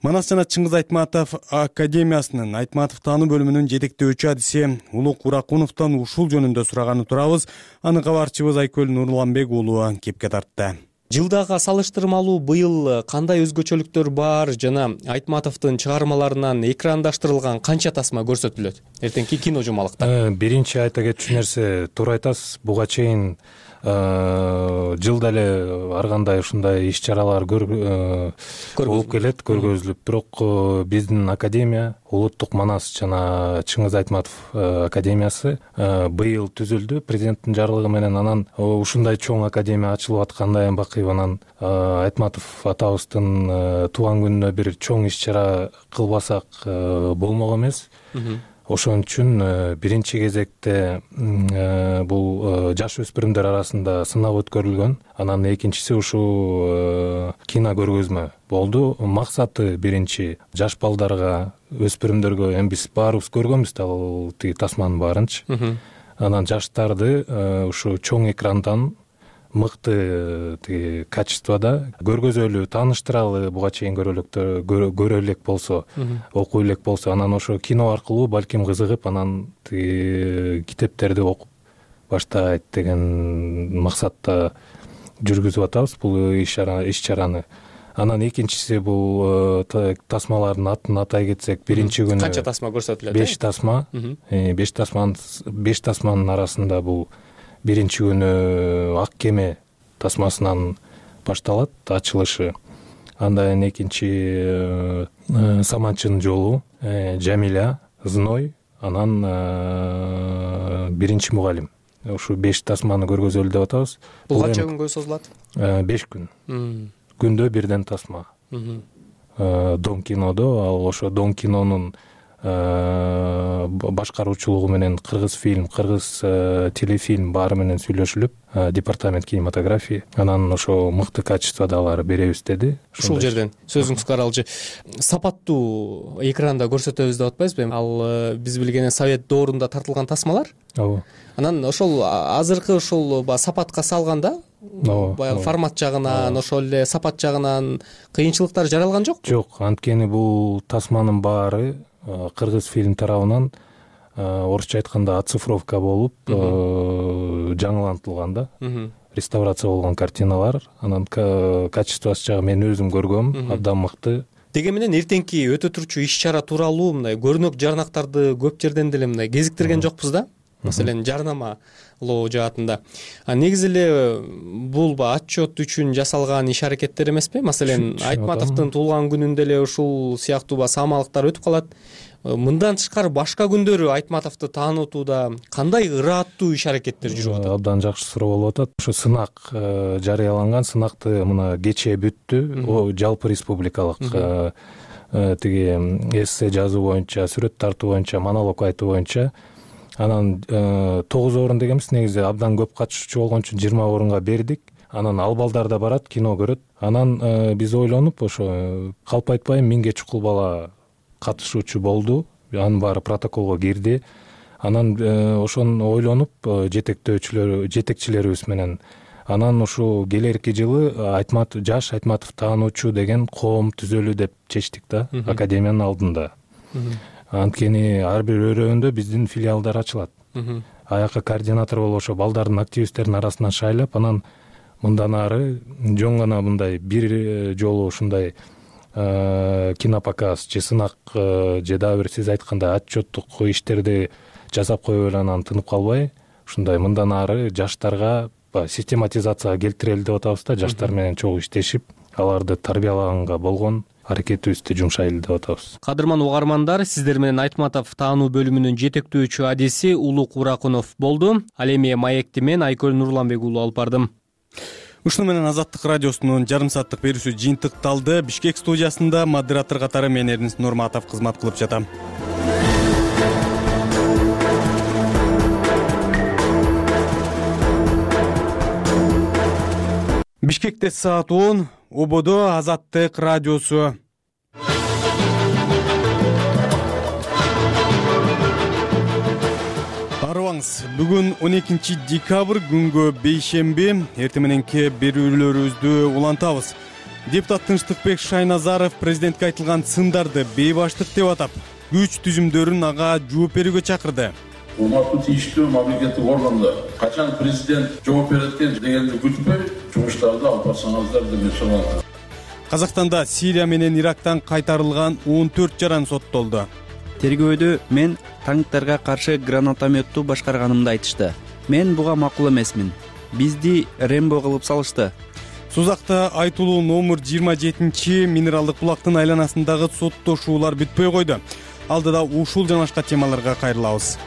Манас жана Чыңгыз Айтматов академиясынын Айтматов таануу бөлүмүнүн жетектөөчү адиси Улук Уракуновдон ушул жөнүндө сураганы турабыз. Аны кабарчыбыз Айкөл Нурланбек уулу кепке тартты. Жылдага салыштырмалуу быйыл кандай өзгөчөлүктөр бар жана Айтматовдун чыгармаларынан экрандашырылган канча тасма көрсөтүлөт эртеңки кино жумалыкта? Биринчи айта кетчү нерсе, туура айтасыз, буга чейин жылда эле ар кандай ушундай иш чаралар болуп келет, көргөзүлүп. Бирок биздин академия, Улуттук Манас жана Чыңгыз Айтматов академиясы быйыл түзүлдү президенттин жарлыгы менен. Анан ушундай чоң академия ачылып аткандай бакый, анан Айтматов атабыздын туулган күнүнө бир чоң иш чара кылбасак болмок эмес. Ошон үчүн биринчи кезекте бул жаш өспүрүмдөр арасында сынак өткөрүлгөн. Анан экинчиси ушул кино көргөзмө болду. Максаты биринчи жаш балдарга, өспүрүмдөргө, эми биз баарыбыз көргөнбүз да ал тиги тасманын баарынчы. Анан жаштарды ушу чоң экрандан мыкты тиги качествода көргөзөлү, тааныштыралы, буга чейин көрө элек болсо, окуй элек болсо, анан ошо кино аркылуу балким кызыгып, анан тиги китептерди окуп баштайт деген максатта жүргүзүп атабыз бул иш чараны. Анан экинчиси бул тасмалардын атын атай кетсек, биринчи күнү канча тасма көрсөтүлөт? беш тасма. беш тасманын беш тасманын арасында бул биринчи күнү Ак кеме тасмасынан башталат ачылышы. Андан экинчи Саманчынын жолу, Жамиля, Зной, анан биринчи мугалим. Ушу беш тасманы көргөзөлү деп атабыз. Бул канча күнгө созулат? беш күн. Күндө бирден тасма. Дом кинодо, ал ошо Дом кинонун башкаруучулугу менен кыргыз фильм, кыргыз телефильм баары менен сүйлөшүлүп, департамент кинематографии анан ошо мыкты качествода алар беребиз деди. Ушул жерден сөзүңүзгө каралчы, сапаттуу экранда көрсөтөбүз деп атпайсызбы? Ал биз билгенден Совет доорунда тартылган тасмалар. Ооба. Анан ошол азыркы ошол сапатка салганда, баягы формат жагынан, ошол эле сапат жагынан кыйынчылыктар жаралган жокпу? Жок, анткени бул тасманын баары кыргыз фильм тарабынан орусча айтканда оцифровка болуп жаңылантылган да, реставрация болгон картиналар. Анан качествосы жагы мен өзүм көргөм, абдан мыкты. Деге менен эртеңки өтө турчу иш чара тууралуу мындай көрүнөк жарнактарды көп жерден деле мындай кезиктирген жокпуз да. Маселен, жарнамалоо жаатында. А негизи эле бул отчет үчүн жасалган иш аракеттер эмеспи? Маселен, Айтматовдун туулган күнүндө эле ушул сыяктуу саамалыктар өтүп калат. Мындан тышкары башка күндөрү Айтматовду таанытууда кандай ырааттуу иш аракеттер жүрүп атат? Абдан жакшы суроо болуп атат. Ошо сынак жарыяланган, сынакты мына кечээ бүттү. О жалпы республикалык тиги эссе жазуу боюнча, сүрөт тартуу боюнча, монолог айтуу боюнча. Анан тогуз орун дегенбиз, негизи абдан көп катышуучу болгон үчүн жыйырма орунга бердик. Анан ал балдар да барат, кино көрөт. Анан биз ойлонуп, ошо калп айтпайм миңге чукул бала катышуучу болду. Анын баары протоколго кирди. Анан ошону ойлонуп жетектөөчүлөр, жетекчилерибиз менен анан ушу келерки жылы Айтматов, жаш Айтматов таануучу деген коом түзөлү деп чечтик да, академиянын алдында. Анткени ар бир өрөөндө биздин филиалдар ачылат. Аяка координатор болуп ошо балдардын, активисттердин арасынан шайлап, анан мындан ары жөн гана мындай бир жолу ушундай кинопоказ же сынак же дагы бир сиз айткандай отчеттук иштерди жасап коюп эле анан тынып калбай ушундай мындан ары жаштарга систематизацияга келтирели деп атабыз да, жаштар менен чогуу иштешип аларды тарбиялаганга болгон аракетибизди жумшайлы деп атабыз. Кадырман угармандар, сиздер менен Айтматов таануу бөлүмүнүн жетектөөчү адиси Улук Уракунов болду. Ал эми маекти мен Айкөл Нурланбек уулу алып бардым. Ушуну менен Азаттык радиосунун жарым сааттык берүүсү жыйынтыкталды. Бишкек студиясында модератор катары мен Эрнис Нурматов кызмат кылып жатам. Бишкекте саат он, ободо Азаттык радиосу. Арыбаңыз, бүгүн он экинчи декабрь күнгө бейшемби, эртең мененки берүүлөрүбүздү улантабыз. Депутат Тынчтыкбек Шайназаров президентке айтылган сындарды бейбаштык деп атап, күч түзүмдөрүн ага жооп берүүгө чакырды. Урматтуу тийиштүү мамлекеттик органдар качан президент жооп берет экен дегенди күтпөй жумуштарды алып барсаңыздар деп мен сурайм. Казакстанда Сирия менен Ирактан кайтарылган он төрт жаран соттолду. Тергөөдө мен танктарга каршы гранатометту башкарганымды айтышты. Мен буга макул эмесмин. Бизди Рембо кылып салышты. Сузакта айтылуу номер жыйырма жетинчи минералдык булактын айланасындагы соттошуулар бүтпөй койду. Алдыда ушул жана башка темаларга кайрылабыз.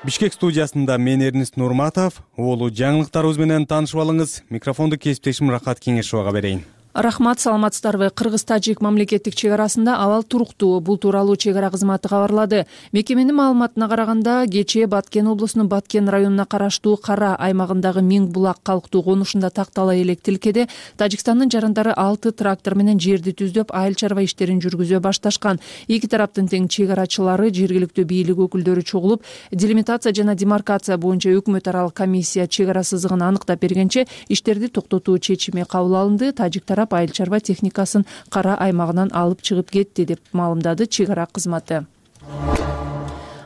Бишкек студиясында мен Эрнис Нурматов, улуу жаңылыктарыбыз менен таанышып алыңыз. Микрофонду кесиптешим Рахат Кеңешовага берейин. Рахмат, саламатсыздарбы? Кыргыз-Тажик мамлекеттик чек арасында абал туруктуу. Бул тууралуу чек ара кызматы кабарлады. Мекеменин маалыматына караганда, кечээ Баткен облусунун Баткен районуна караштуу Кара аймагындагы Миң булак калктуу конушунда тактала элек тилкеде Тажикстандын жарандары алты трактор менен жерди түздөп, айыл чарба иштерин жүргүзө башташкан. Эки тараптын тең чек арачылары, жергиликтүү бийлик өкүлдөрү чогулуп, делимитация жана демаркация боюнча өкмөт аралык комиссия чек ара сызыгын аныктап бергенче иштерди токтотуу чечими кабыл алынды. Тажик тарап айыл чарба техникасын Кара аймагынан алып чыгып кетти деп маалымдады чек ара кызматы.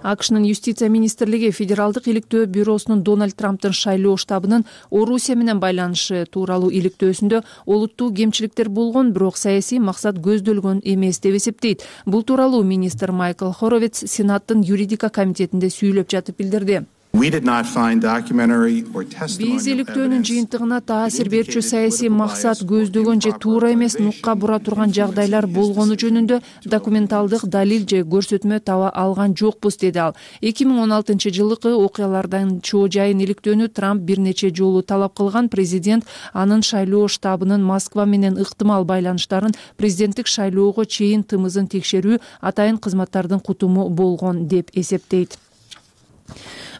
АКШнын юстиция министрлиги федералдык иликтөө бюросунун Дональд Трамптын шайлоо штабынын Орусия менен байланышы тууралуу иликтөөсүндө олуттуу кемчиликтер болгон, бирок саясий максат көздөлгөн эмес деп эсептейт. Бул тууралуу министр Майкл Хоровиц Сенаттын юридика комитетинде сүйлөп жатып билдирди. Биз иликтөөнүн жыйынтыгына таасир берүүчү саясий максат көздөгөн же туура эмес нукка бура турган жагдайлар болгону жөнүндө документалдык далил же көрсөтмө таба алган жокпуз, деди ал. эки миң он алтынчы жылкы окуялардан чоо жайын иликтөөнү Трамп бир нече жолу талап кылган. Президент анын шайлоо штабынын Москва менен ыктымал байланыштарын президенттик шайлоого чейин тымызын текшерүү атайын кызматтардын кутуму болгон деп эсептейт.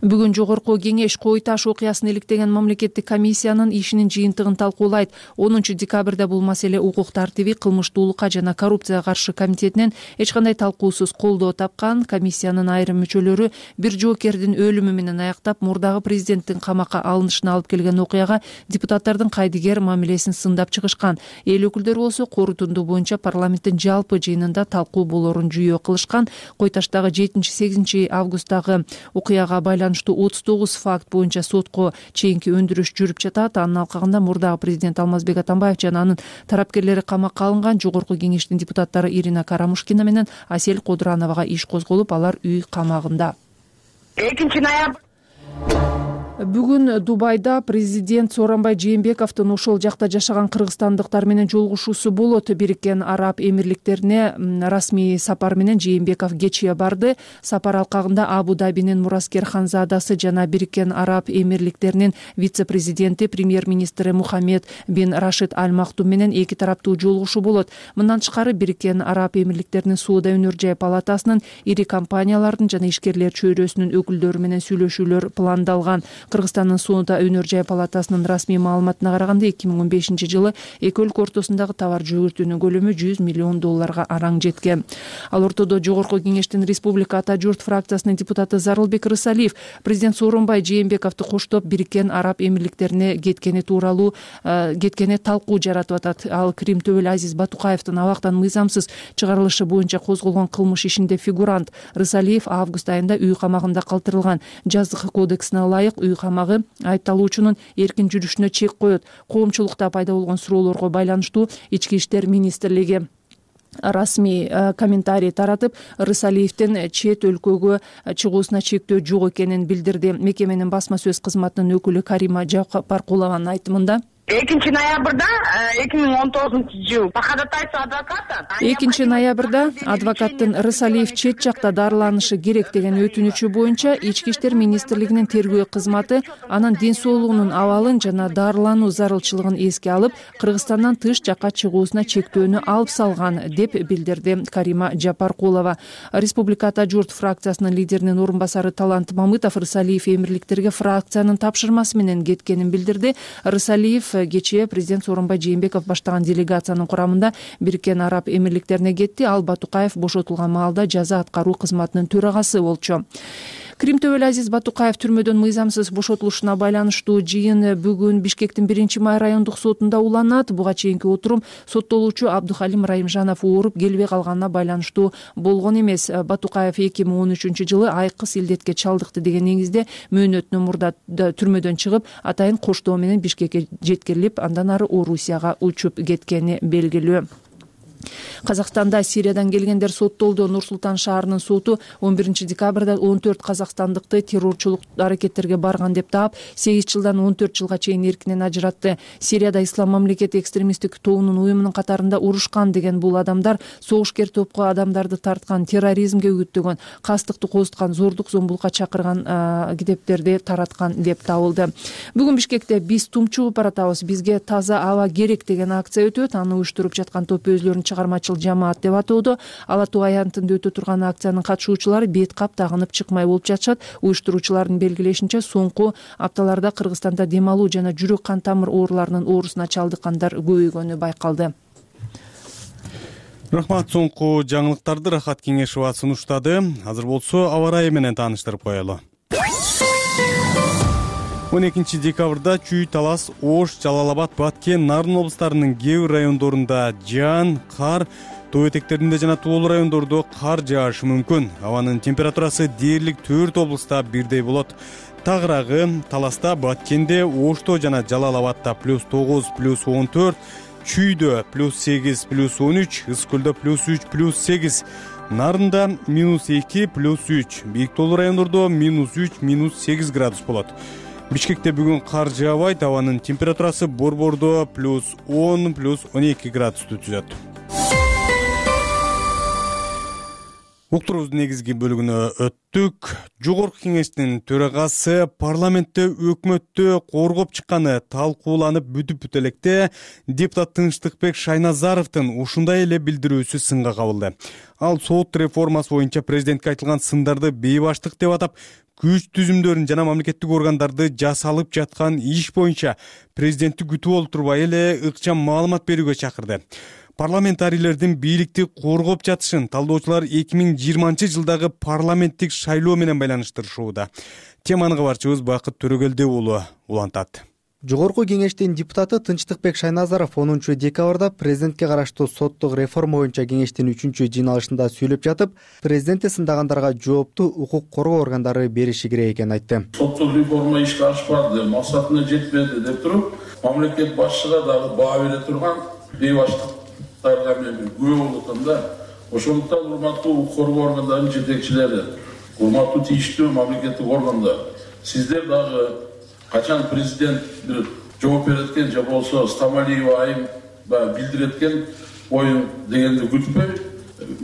Бүгүн жогорку кеңеш Кой Таш окуясын иликтеген мамлекеттик комиссиянын ишинин жыйынтыгын талкуулайт. онунчу декабрда бул маселе укук тартиби, кылмыштуулукка жана коррупцияга каршы комитетинен эч кандай талкуусуз колдоо тапкан. Комиссиянын айрым мүчөлөрү бир жоокердин өлүмү менен аяктап, мурдагы президенттин камакка алынышына алып келген окуяга депутаттардын кайдыгер мамилесин сындап чыгышкан. Эл өкүлдөрү болсо корутунду боюнча парламенттин жалпы жыйынында талкуу болорун жүйө кылышкан. Кой Таштагы жетинчи сегизинчи августтагы окуяга байланыштуу отуз тогуз факт боюнча сотко чейинки өндүрүш жүрүп жатат. Анын алкагында мурдагы президент Алмазбек Атамбаев жана анын тарапкерлери камакка алынган. Жогорку кеңештин депутаттары Ирина Карамушкина менен Асель Кодурановага иш козголуп, алар үй камагында. экинчи ноябрь Бүгүн Дубайда президент Сооронбай Жээнбековдун ошол жакта жашаган кыргызстандыктар менен жолугушуусу болот. Бириккен Араб Эмирликтерине расмий сапар менен Жээнбеков кечээ барды. Сапар алкагында Абу-Дабинин Мураскер Ханзадасы жана Бириккен Араб Эмирликтеринин вице-президенти, премьер-министри Мухаммед бин Рашид Аль Мактум менен эки тараптуу жолугушуу болот. Мындан тышкары Бириккен Араб Эмирликтеринин Соода өнөр жай палатасынын, ири компаниялардын жана ишкерлер чөйрөсүнүн өкүлдөрү менен сүйлөшүүлөр пландалган. Кыргызстандын Соода өнөр жай палатасынын расмий маалыматына караганда эки миң он бешинчи жылы эки өлкө ортосундагы товар жүгүртүүнүн көлөмү жүз миллион долларга араң жеткен. Ал ортодо жогорку кеңештин Республика Ата журт фракциясынын депутаты Зарылбек Рысалиев президент Сооронбай Жээнбековду коштоп Бириккен Араб Эмирликтерине кеткени тууралуу кеткени талкуу жаратып атат. Ал Крим төбөлү Азиз Батукаевдин абактан мыйзамсыз чыгарылышы боюнча козголгон кылмыш ишинде фигурант. Рысалиев август айында үй камагында калтырылган. Жаздык кодексине ылайык үй камагы айыпталуучунун эркин жүрүшүнө чек коет. Коомчулукта пайда болгон суроолорго байланыштуу Ички иштер министрлиги расмий комментарий таратып, Рысалиевдин чет өлкөгө чыгуусуна чектөө жок экенин билдирди. Мекеменин басма сөз кызматынын өкүлү Карима Жапаркулованын айтымында экинчи ноябрда эки миң он тогузунчу жыл по ходатайству адвоката экинчи ноябрда адвокаттын Рысалиев чет жакта дарыланышы керек деген өтүнүчү боюнча Ички иштер министрлигинин тергөө кызматы анын ден соолугунун абалын жана дарылануу зарылчылыгын эске алып, Кыргызстандан тыш жакка чыгуусуна чектөөнү алып салган деп билдирди Карима Жапаркулова. Республика Ата журт фракциясынын лидеринин орун басары Талант Мамытов Рысалиев эмирликтерге фракциянын тапшырмасы менен кеткенин билдирди. Рысалиев кечээ президент Сооронбай Жээнбеков баштаган делегациянын курамында Бириккен Араб Эмирликтерине кетти. Ал Батукаев бошотулган маалда жаза аткаруу кызматынын төрагасы болчу. Крим төбөлү Азиз Батукаев түрмөдөн мыйзамсыз бошотулушуна байланыштуу жыйын бүгүн Бишкектин биринчи май райондук сотунда уланат. Буга чейинки отурум соттолуучу Абдухалим Райымжанов ооруп келбей калганына байланыштуу болгон эмес. Батукаев эки миң он үчүнчү жылы айкыс илдетке чалдыкты деген негизде мөөнөтүнөн мурда түрмөдөн чыгып, атайын коштоо менен Бишкекке жеткирилип, андан ары Орусияга учуп кеткени белгилүү. Казакстанда Сириядан келгендер соттолду. Нур-Султан шаарынын соту он биринчи декабрда он төрт казакстандыкты террорчулук аракеттерге барган деп таап, сегиз жылдан он төрт жылга чейин эркинен ажыратты. Сирияда Ислам мамлекети экстремисттик тобунун уюмунун катарында урушкан деген бул адамдар согушкер топко адамдарды тарткан, терроризмге үгүттөгөн, кастыкты козуткан, зордук зомбулукка чакырган китептерди тараткан деп табылды. Бүгүн Бишкекте биз тумчугуп баратабыз, бизге таза аба керек деген акция өтөт. Аны уюштуруп жаткан топ өзлөрүнүн чыгармачыл жамаат деп атоодо. Ала Тоо аянтында өтө турган акциянын катышуучулары бет кап тагынып чыкмай болуп жатышат. Уюштуруучулардын белгилешинче, соңку апталарда Кыргызстанда дем алуу жана жүрөк кан тамыр ооруларынын оорусуна чалдыккандар көбөйгөнү байкалды. Рахмат. Соңку жаңылыктарды Рахат Кеңешова сунуштады. Азыр болсо аба ырайы менен тааныштырып коелу. он экинчи декабрда Чүй, Талас, Ош, Жалал Абад, Баткен, Нарын облустарынын кээ бир райондорунда жаан, кар, тоо этектеринде жана тоолуу райондордо кар жаашы мүмкүн. Абанын температурасы дээрлик төрт облуста бирдей болот. Тагыраагы Таласта, Баткенде, Ошто жана Жалал Абадта плюс тогуз, плюс он төрт, Чүйдө плюс сегиз, плюс он үч, Ысык көлдө плюс үч, плюс сегиз, Нарында минус эки, плюс үч, Бийик тоолуу райондордо минус үч, минус сегиз градус болот. Бишкекте бүгүн кар жаабайт, абанын температурасы Борбордо плюс он, плюс он эки градусту түзөт. Уктурубуздун негизги бөлүгүнө өттүк. Жогорку Кеңештин төрагасы парламентте өкмөттү коргоп чыкканы талкууланып бүтүп бүт электе депутат Тынчтыкбек Шайназаровдун ушундай эле билдирүүсү сынга кабылды. Ал сот реформасы боюнча президентке айтылган сындарды бейбаштык деп атап, күч түзүмдөрүн жана мамлекеттик органдарды жасалып жаткан иш боюнча президентти күтүп олтурбай эле ыкчам маалымат берүүгө чакырды. Парламентарийлердин бийликти коргоп жатышын талдоочулар эки миң жыйырманчы жылдагы парламенттик шайлоо менен байланыштырышууда. Теманы кабарчыбыз Бакыт Төрөгелди уулу улантат. Жогорку Кеңештин депутаты Тынчтыкбек Шайназаров онунчу декабрда президентке караштуу соттук реформа боюнча Кеңештин үчүнчү жыйналышында сүйлөп жатып, президентти сындагандарга жоопту укук коргоо органдары бериши керек экенин айтты. Соттук реформа ишке ашпады, максатына жетпеди деп туруп, мамлекет башчыга дагы баа бере турган бейбаштыктарга мен күбө болуп да. Ошондуктан урматтуу укук коргоо органдарынын жетекчилери, урматтуу тийиштүү мамлекеттик органдар, сиздер дагы качан президент бир жооп береткен же болсо Стамалиева айым билдиреткен оюн дегенди күтпөй,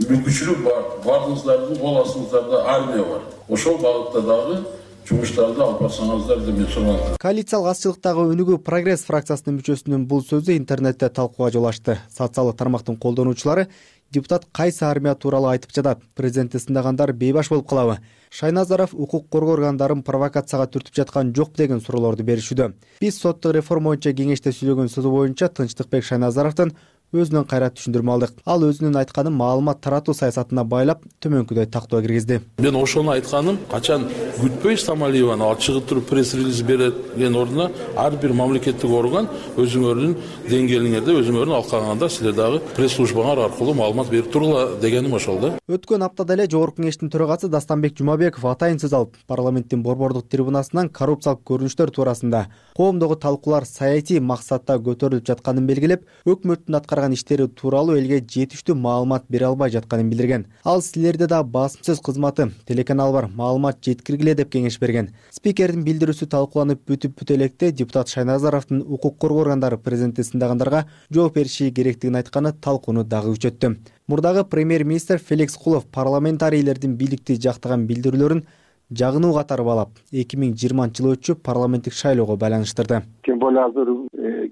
мүмкүнчүлүк бар. Бардыңыздардын кол астыңыздарда армия бар. Ошол багытта дагы жумуштарды алып барсаңыздар деп мен сураган. Коалициялык азчылыктагы өнүгүү Прогресс фракциясынын мүчөсүнүн бул сөзү интернетте талкууга жол ачты. Социалдык тармактын колдонуучулары депутат кайсы армия тууралуу айтып жатат? Президентти сындагандар бейбаш болуп калабы? Шайназаров укук коргоо органдарын провокацияга түртүп жаткан жок деген суроолорду беришүүдө. Биз соттук реформа боюнча Кеңеште сүйлөгөн сөзү боюнча Тынчтыкбек Шайназаровдон өзүнөн кайра түшүндүрмө алдык. Ал өзүнүн айтканын маалымат таратуу саясатына байлап, төмөнкүдөй тактоо киргизди. Мен ошону айтканым, качан күтпөй Стамалиеваны алып чыгып туруп пресс-релиз берген ордуна ар бир мамлекеттик орган өзүңөрдүн деңгээлиңерде өзүңөрдүн алкаганда силер дагы пресс-службаңар аркылуу маалымат берип тургула дегеним ошол да. Өткөн аптада эле Жогорку Кеңештин төрагасы Дастанбек Жумабеков атайын сөз алып, парламенттин борбордук трибунасынан коррупциялык көрүнүштөр туурасында коомдогу талкуулар саясий максатта көтөрүлүп жатканын белгилеп, өкмөттүн аткарган аткарган иштери тууралуу элге жетиштүү маалымат бере албай жатканын билдирген. Ал силерде да басым сөз кызматы, телеканал бар, маалымат жеткиргиле деп кеңеш берген. Спикердин билдирүүсү талкууланып бүтүп бүтө электе депутат Шайназаровдун укук коргоо органдары президентти сындагандарга жооп бериши керектигин айтканы талкууну дагы күчөттү. Мурдагы премьер-министр Феликс Кулов парламентарийлердин бийликти жактаган билдирүүлөрүн жагынуу катары баалап, эки миң жыйырманчы жылы өтчү парламенттик шайлоого байланыштырды. Тем более азыр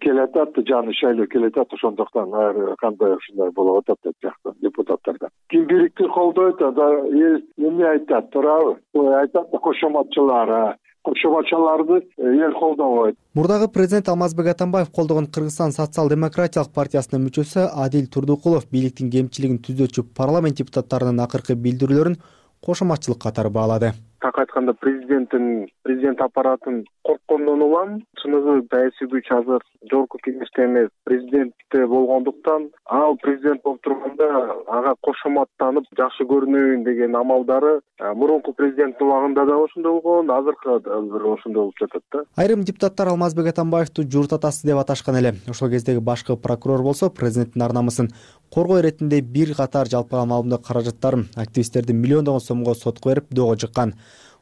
келатат, жаңы шайлоо келатат, ошондуктан ар кандай ушундай болуп атат деп жакта депутаттардан. Ким бирикти колдойт, да эл эмне айтат, туурабы? Айтат да кошоматчылар, кошоматчыларды эл колдобойт. Мурдагы президент Алмазбек Атамбаев колдогон Кыргызстан социал-демократиялык партиясынын мүчөсү Адил Турдукулов бийликтин кемчилигин түзөчү парламент депутаттарынын акыркы билдирүүлөрүн кошоматчылык катары баалады. Так айтканда президенттин президент аппаратын корккондон улам, чыныгы саясий күч азыр жогорку кеңеште эмес, президентте болгондуктан, ал президент болуп турганда ага кошоматтанып жакшы көрүнөйүн деген амалдары мурунку президенттин убагында да ошондой болгон, азыркы да бир ошондой болуп жатат да. Айрым депутаттар Алмазбек Атамбаевду журт атасы деп аташкан эле. Ошол кездеги башкы прокурор болсо президенттин ар намысын коргоо иретинде бир катар жалпыга маалымдоо каражаттарын активисттердин миллиондогон сомго сотко берип доого жыккан.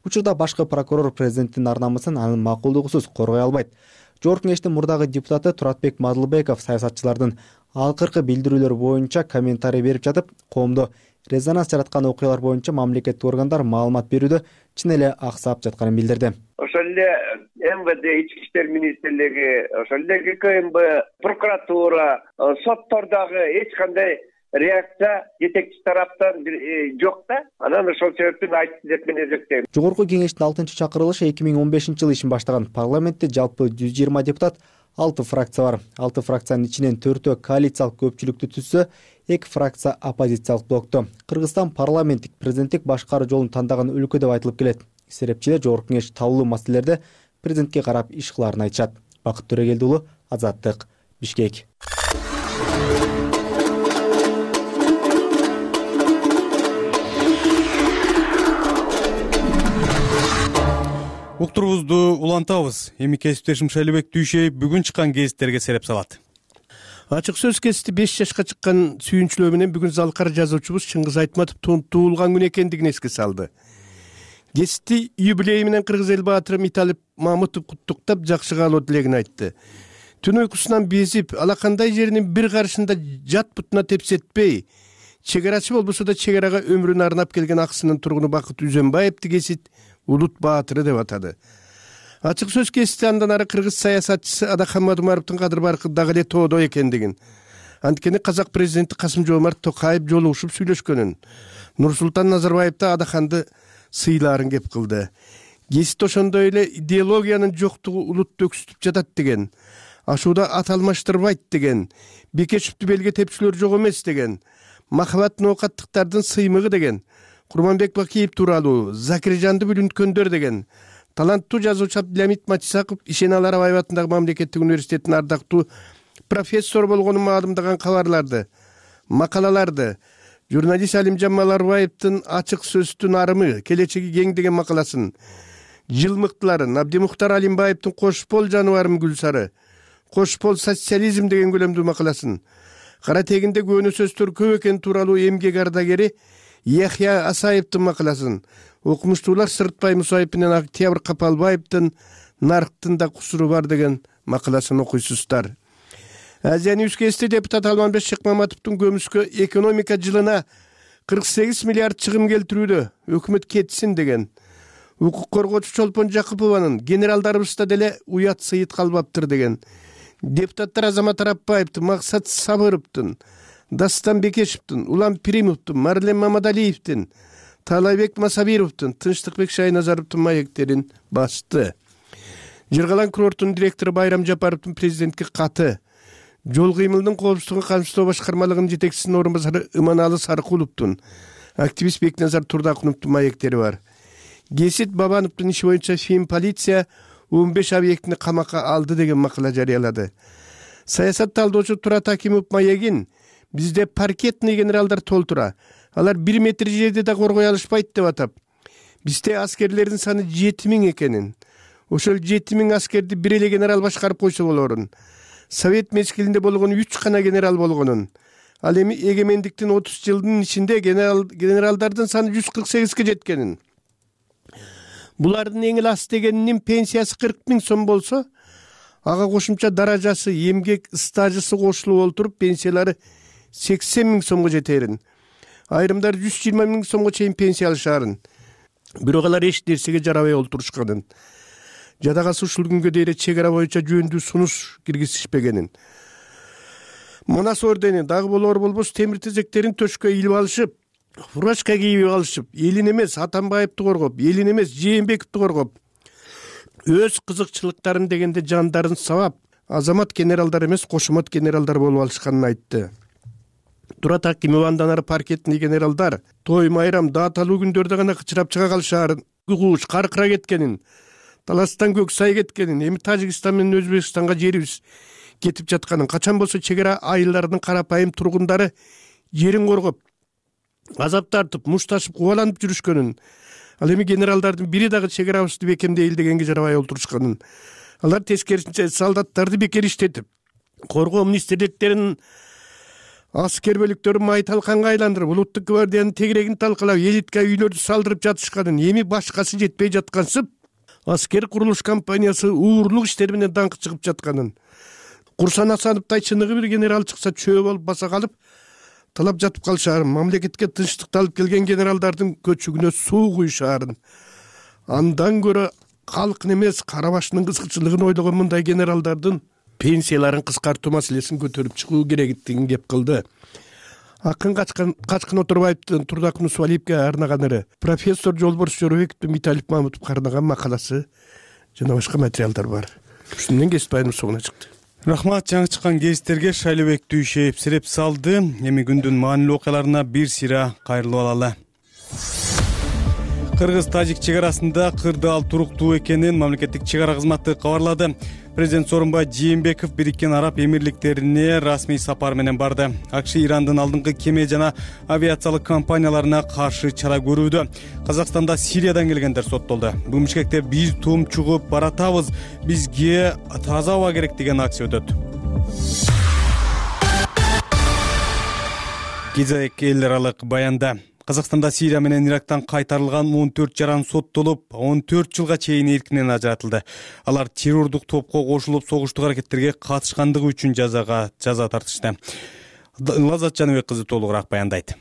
Учурда башкы прокурор президенттин ар намысын анын макулдугусуз коргой албайт. Жогорку кеңештин мурдагы депутаты Туратбек Мадылбеков саясатчылардын акыркы билдирүүлөрү боюнча комментарий берип жатып, коомдо резонанс жараткан окуялар боюнча мамлекеттик органдар маалымат берүүдө чын эле аксап жатканын билдирди. Ошол эле эм вэ дэ, ички иштер министрлиги, ошол эле гэ ка эм бэ, прокуратура, соттордогу эч кандай реакция жетекчи тараптан жок да. Анан ошол себептен айтты деп мен эсептейм. Жогорку кеңештин алтынчы чакырылышы эки миң он бешинчи жылы ишин баштаган. Парламентте жалпы жүз жыйырма депутат, алты фракция бар. алты фракциянын ичинен төртөө коалициялык көпчүлүктү түзсө, эки фракция оппозициялык блокту. Кыргызстан парламенттик президенттик башкаруу жолун тандаган өлкө деп айтылып келет. Серепчилер жогорку кеңеш талуу маселелерде президентке карап иш кылаарын айтышат. Бакыт Төрөгелди уулу, Азаттык, Бишкек. Уктурубузду улантабыз. Эми кесиптешим Шайлыбек Дүйшеев бүгүн чыккан гезиттерге сереп салат. Ачык сөз кесити беш жашка чыккан сүйүнчүлөө менен бүгүн залкар жазуучубуз Чыңгыз Айтматов туулган күн экендигин эске салды. Гезитти юбилейи менен кыргыз эл баатыры Миталип Мамытов куттуктап, жакшы каалоо тилегин айтты. Түн уйкусунан безип, алакандай жеринин бир карышында жат бутуна тепсетпей, чегарачы болбосо да чегарага өмүрүн арнап келген Аксынын тургуну Бакыт Үзөнбаевди гезит улут баатыры деп атады. Ачык сөз кесити андан ары кыргыз саясатчысы Адахаммад Умаровдун кадыр баркы дагы эле тоодо экендигин, анткени казак президенти Касым-Жомарт Токаев жолугушуп сүйлөшкөнүн, Нурсултан Назарбаевди Адаханды сыйлаарын кеп кылды. Гезит ошондой эле идеологиянын жоктугу улутты өксүтүп жатат деген, ашууда ат алмаштырбайт деген, Бекешевди белге тепчүлөр жок эмес деген, махабат ноокаттыктардын сыймыгы деген, Курманбек Бакиев тууралуу, Закиржанды бүлүнткөндөр деген, таланттуу жазуучу Абдиламит Матисаков Ишен Аларабаев атындагы мамлекеттик университеттин ардактуу профессор болгонун маалымдаган кабарларды, макалаларды, журналист Алимжан Маларбаевдин ачык сөздүн арымы, келечеги кең деген макаласын, жыл мыктыларын, Абдимухтар Алимбаевдин Кош бол жаныбарым Гүлсары, Кош бол социализм деген көлөмдүү макаласын, кара тегинде көөнө сөздөр көп экен тууралуу эмгек ардагери Яхья Асаевдин макаласын, окумуштуулар Сырытбай Мусаев менен Октябрь Капалбаевдин Нарктын да кусуру бар деген макаласын окуйсуздар. Азия Ньюс кести депутат Алманбек Шыкмаматовдун көмүскө экономика жылына кырк сегиз миллиард чыгым келтирүүдө өкмөт кетсин деген, укук коргоочу Чолпон Жакыпованын генералдарыбызда деле уят сыйыт калбаптыр деген, депутаттар Азамат Арапбаевдин, Максат Сабыровдун, Дастан Бекешевдин, Улам Пиримовдун, Марлен Мамадалиевдин, Таалайбек Масабировдун, Тынчтыкбек Шайназаровдун маектерин басты. Жыргалан курорттун директору Байрам Жапаровдун президентке каты, жол кыймылдын коопсуздугун камсыздоо башкармалыгынын жетекчисинин орун басары Иманалы Саркуловдун, активист Бекназар Турдакуновдун маектери бар. Гесит Бабановдун иши боюнча Фин полиция он беш объектини камакка алды деген макала жарыялады. Саясат талдоочу Турат Акимов маегин бизде паркетный генералдар толтура, алар бир метр жерде да коргой алышпайт деп атап, бизде аскерлердин саны жети миң экенин, ошол жети миң аскерди бир эле генерал башкарып койсо болорун, совет мезгилинде болгон үч гана генерал болгонун, ал эми эгемендиктин отуз жылдын ичинде генерал генералдардын саны жүз кырк сегизге жеткенин, булардын эң эле аз дегенинин пенсиясы кырк миң сом болсо, ага кошумча даражасы, эмгек стажысы кошулуп олтуруп пенсиялары сексен миң сомго жетерин, айрымдар жүз жыйырма миң сомго чейин пенсия алышарын. Бирок алар эч нерсеге жарабай олтурушканын, жадагасы ушул күнгө дейин чек ара боюнча жөндүү сунуш киргизишпегенин, манас ордени дагы болор болбос темир тезектерин төшкө илип алышып, фуражка кийип алышып, элин эмес Атамбаевди коргоп, элин эмес Жээнбековди коргоп, өз кызыкчылыктарын дегенде жандарын сабап, азамат генералдар эмес кошомат генералдар болуп алышканын айтты. Турат Акимов андан ары паркетный генералдар той майрам дааталуу күндөрдө гана кычырап чыга калышаарын, кууш каркыра кеткенин, таластан көк сай кеткенин, эми Тажикстан менен Өзбекстанга жерибиз кетип жатканын, качан болсо чек ара айылдарынын карапайым тургундары жерин коргоп, азап тартып, мушташып, кубаланып жүрүшкөнүн, ал эми генералдардын бири дагы чек арабызды бекемдейли дегенге жарабай олтурушканын, алар тескерисинче солдаттарды бекер иштетип, коргоо министрликтеринин аскер бөлүктөрүн май талканга айландырып, улуттук гвардиянын тегерегин талкалап, элитка үйлөрдү салдырып жатышканын, эми башкасы жетпей жаткансып, аскер курулуш компаниясы уурлук иштери менен даңкы чыгып жатканын, Курсан Асановдой чыныгы бир генерал чыкса чөө болуп баса калып, талап жатып калышаарын, мамлекетке тынчтыкты алып келген генералдардын көчүгүнө суу куюшаарын, андан көрө калктын эмес кара башынын кызыкчылыгын ойлогон мындай генералдардын пенсияларын кыскартуу маселесин көтөрүп чыгуу керектигин кеп кылды. Акын Качкын Оторбаевдин Турдак Нусвалиевге арнаганыры, профессор Жолборс Жоробековдун Виталий Мамутов карнаган макаласы жана башка материалдар бар. Ушуну менен кесип байырмы соңуна чыкты. Рахмат, жаңы чыккан кесиптерге Шайлообек Дүйшеев сиреп салды. Эми күндүн маанилүү окуяларына бир сыйра кайрылып алалы. Кыргыз-Тажик чек арасында кырдаал туруктуу экенин мамлекеттик чек ара кызматы кабарлады. Президент Сооронбай Жээнбеков Бириккен Араб Эмирликтерине расмий сапар менен барды. АКШ Ирандын алдыңкы кеме жана авиациялык компанияларына каршы чара көрүүдө. Казакстанда Сириядан келгендер соттолду. Бүгүн Бишкекте биз тум чугуп баратабыз, бизге таза аба керек деген акция өтөт. Гизек эл аралык баянда Казакстанда Сирия менен Ирактан кайтарылган он төрт жаран соттолуп, он төрт жылга чейин эркинен ажыратылды. Алар террордук топко кошулуп, согуштук аракеттерге катышкандыгы үчүн жазага жаза тартышты. Лаззат Жаныбек кызы толугураак баяндайт.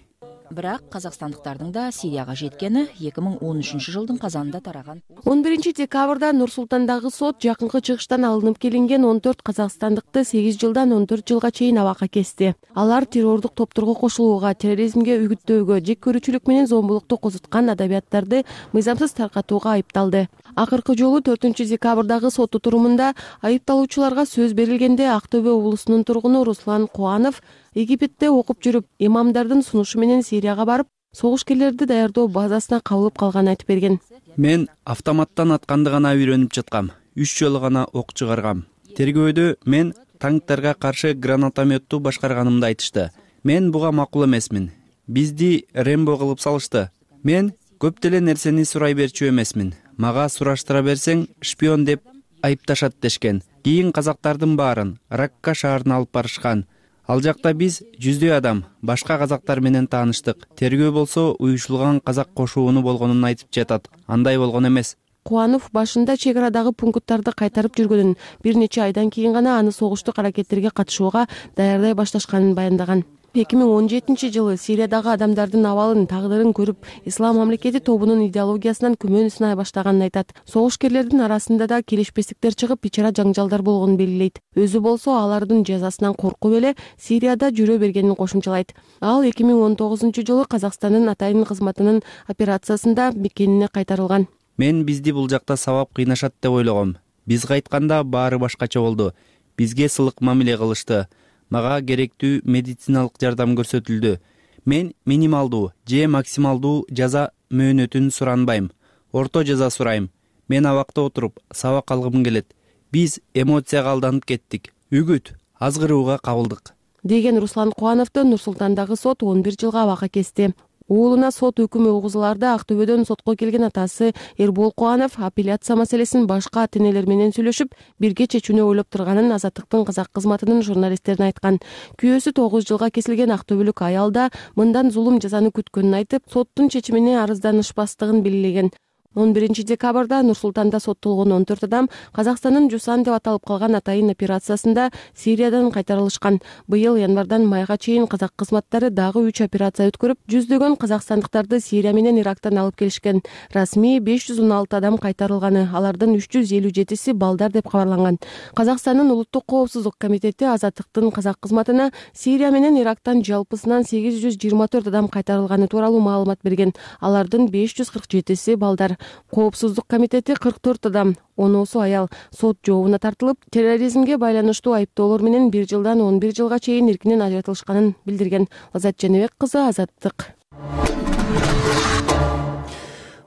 Бирок казакстандыктардын да Сирияга жеткени эки миң он үчүнчү жылдын казанында тараган. он биринчи декабрда Нур-Султандагы сот жакынкы чыгыштан алынып келинген он төрт казакстандыкты сегиз жылдан он төрт жылга чейин абакка кести. Алар террордук топторго кошулууга, терроризмге үгүттөөгө, жек көрүүчүлүк менен зомбулукту козуткан адабияттарды мыйзамсыз таркатууга айыпталды. Акыркы жолу төртүнчү декабрдагы сот отурумунда айыпталуучуларга сөз берилгенде Ак Төбө облусунун тургуну Руслан Кубанов Египетте окуп жүрүп, имамдардын сунушу менен Сирияга барып, согушкерлерди даярдоо базасына кабылып калганын айтып берген. Мен автоматтан атканды гана үйрөнүп жаткам. Үч жолу гана ок чыгаргам. Тергөөдө мен танктарга каршы гранатометту башкарганымды айтышты. Мен буга макул эмесмин. Бизди Рембо кылып салышты. Мен көп деле нерсени сурай берчү эмесмин. Мага сураштыра берсең шпион деп айыпташат дешкен. Кийин казактардын баарын Ракка шаарына алып барышкан. Ал жакта биз жүздөй адам, башка казактар менен тааныштык. Тергөө болсо уюшулган казак кошууну болгонун айтып жатат. Андай болгон эмес. Кубанов башында чек арадагы пункттарды кайтарып жүргөнүн, бир нече айдан кийин гана аны согуштук аракеттерге катышууга даярдай башташканын баяндаган. эки миң он жетинчи жылы Сириядагы адамдардын абалын, тагдырын көрүп, Ислам мамлекети тобунун идеологиясынан күмөн сынай баштаганын айтат. Согушкерлердин арасында да келишпестиктер чыгып, ичара жаңжалдар болгонун белгилейт. Өзү болсо алардын жазасынан коркуп эле Сирияда жүрө бергенин кошумчалайт. Ал эки миң он тогузунчу жылы Казакстандын атайын кызматынын операциясында мекенине кайтарылган. Мен бизди бул жакта сабап кыйнашат деп ойлогом. Биз кайтканда баары башкача болду. Бизге сылык мамиле кылышты. Мага керектүү медициналык жардам көрсөтүлдү. Мен минималдуу же максималдуу жаза мөөнөтүн суранбайм. Орто жаза сурайм. Мен абакта отуруп сабак алгым келет. Биз эмоцияга алданып кеттик. Үгүт азгырууга кабылдык. Деген Руслан Кубановду Нур-Султандагы сот он бир жылга абакка кести. уулуна сот өкүмү угузулаарда Актөбөдөн сотко келген атасы Эрбол Кубанов апелляция маселесин башка ата энелер менен сүйлөшүп, бирге чечүүнү ойлоп турганын Азаттыктын казак кызматынын журналисттерине айткан. Күйөөсү тогуз жылга кесилген актөбөлүк аял да мындан зулум жазаны күткөнүн айтып, соттун чечимине арызданышпастыгын белгилеген. он биринчи декабрда Нур Султанда соттолгон он төрт адам Казакстандын Жусан деп аталып калган атайын операциясында Сириядан кайтарылышкан. Быйыл январдан майга чейин казак кызматтары дагы үч операция өткөрүп, жүздөгөн казакстандыктарды Сирия менен Ирактан алып келишкен. Расмий беш жүз он алты адам кайтарылганы, алардын үч жүз элүү жетиси балдар деп кабарланган. Казакстандын улуттук коопсуздук комитети Азаттыктын казак кызматына Сирия менен Ирактан жалпысынан сегиз жүз жыйырма төрт адам кайтарылганы тууралуу маалымат берген. Алардын беш жүз кырк жетиси балдар. Коопсуздук комитети кырк төрт адам, оноосу аял, сот жообуна тартылып, терроризмге байланыштуу айыптоолор менен бир жылдан он бир жылга чейин эркинен ажыратылышканын билдирген. Азат Жаныбек кызы, Азаттык.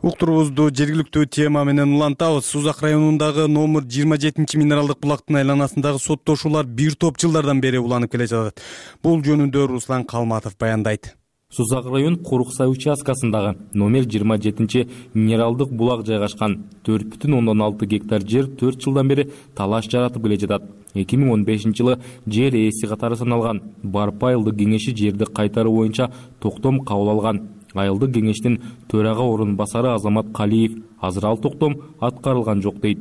Уктурубузду жергиликтүү тема менен улантабыз. Сузак районундагы номер жыйырма жетинчи минералдык булактын айланасындагы соттошуулар бир топ жылдардан бери уланып келе жатат. Бул жөнүндө Руслан Калматов баяндайт. Сузак район Куруксай участкасындагы номер жыйырма жетинчи минералдык булак жайгашкан. төрт бүтүн ондон алты гектар жер төрт жылдан бери талаш жаратып келе жатат. эки миң он бешинчи жылы жер ээси катары саналган Барпа айылдык кеңеши жерди кайтаруу боюнча токтом кабыл алган. Айылдык кеңештин төрага орун басары Азамат Калиев азыр ал токтом аткарылган жок дейт.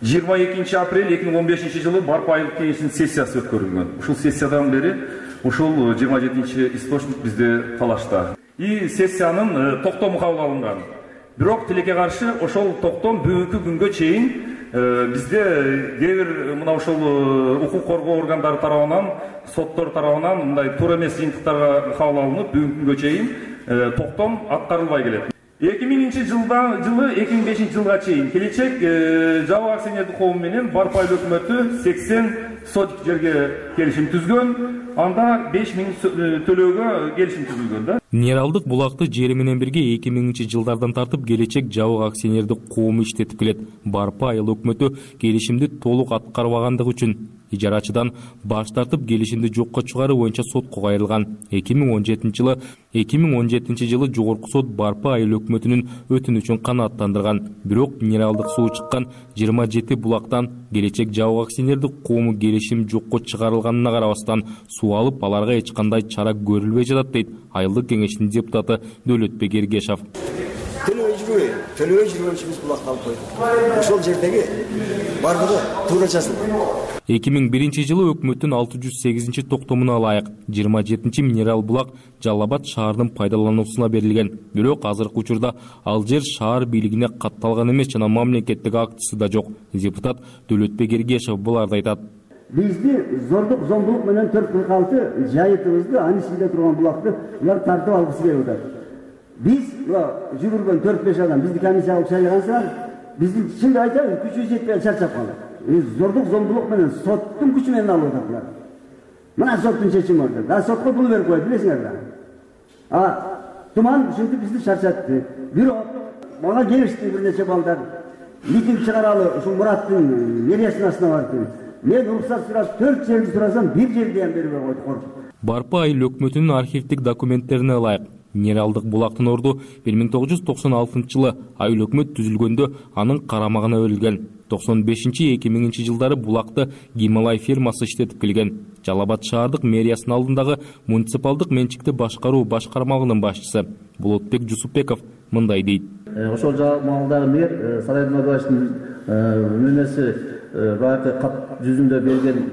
жыйырма экинчи апрель эки миң он бешинчи жылы Барпа айылдык кеңешинин сессиясы өткөрүлгөн. Ушул сессиядан бери ушул жыйырма жетинчи источник бизде талашта. И сессиянын токтому кабыл алынган. Бирок тилекке каршы ошол токтом бүгүнкү күнгө чейин бизде кээ бир мына ушул укук коргоо органдары тарабынан, соттор тарабынан мындай туура эмес жыйынтыктарга кабыл алынып, бүгүнкү күнгө чейин токтом аткарылбай келет. эки миңинчи жылдан жылы эки миң бешинчи жылга чейин келечек жабык акционердик коом менен Барпа айыл өкмөтү сексен сотик жерге келишим түзгөн. Анда беш миң төлөөгө келишим түзүлгөн да. Минералдык булакты жери менен бирге эки миңинчи жылдардан тартып келечек жабык акционердик коому иштетип келет. Барпа айыл өкмөтү келишимди толук аткарбагандыгы үчүн ижарачыдан баш тартып келишимди жокко чыгаруу боюнча сотко кайрылган. эки миң он жетинчи жылы эки миң он жетинчи жылы жогорку сот Барпа айыл өкмөтүнүн өтүнүчүн канааттандырган. Бирок минералдык суу чыккан жыйырма жети булактан келечек жабык акционердик коому келишим жокко чыгарылганына карабастан суу алып, аларга эч кандай чара көрүлбөй жатат дейт айылдык кеңештин депутаты Дөлөтбек Эргешов. Төлөбөй жүрбөй, төлөбөй жүргөн үчүн биз булакты алып койдук. Ошол жердеги бардыгы туура жазылган. эки миң биринчи жылы өкмөттүн алты жүз сегизинчи токтомуна ылайык жыйырма жетинчи минерал булак Жалал Абад шаарынын пайдалануусуна берилген. Бирок азыркы учурда ал жер шаар бийлигине катталган эмес жана мамлекеттик актысы да жок. Депутат Дөлөтбек Эргешов буларды айтат. Бизди зордук зомбулук менен төрт кырк алты жайытыбызды, анын ичинде турган булакты улар тартып алгысы келип атат. Биз жүргөн төрт беш адам бизди комиссия кылып шайлагансыңар, биздин чынды айтайын, күчүбүз жетпей чарчап калдык. Зордук зомбулук менен соттун күчү менен алып атат булар. Мына соттун чечими бар. Да сотко пул берип койду, билесиңер да. А туман ушинтип бизди чарчатты. Бирок мага келишти бир нече балдар. Митинг чыгаралы ушул Мураттын мэриясынын астына барды. Мен уруксат сурап төрт жерди сурасам, бир жерди ham бербей койду коркуп. Барпа айыл өкмөтүнүн архивдик документтерине ылайык минералдык булактын орду бир миң тогуз жүз токсон алтынчы жылы айыл өкмөт түзүлгөндө анын карамагына берилген. токсон бешинчи эки миңинчи жылдары булакты Гималай фирмасы иштетип келген. Жалал Абад шаардык мэриясынын алдындагы муниципалдык менчикти башкаруу башкармалыгынын башчысы Болотбек Жусупбеков мындай дейт. Ошол маалдагы мэр Сарай Мадуачтын мөөнөсү баягы кат жүзүндө берген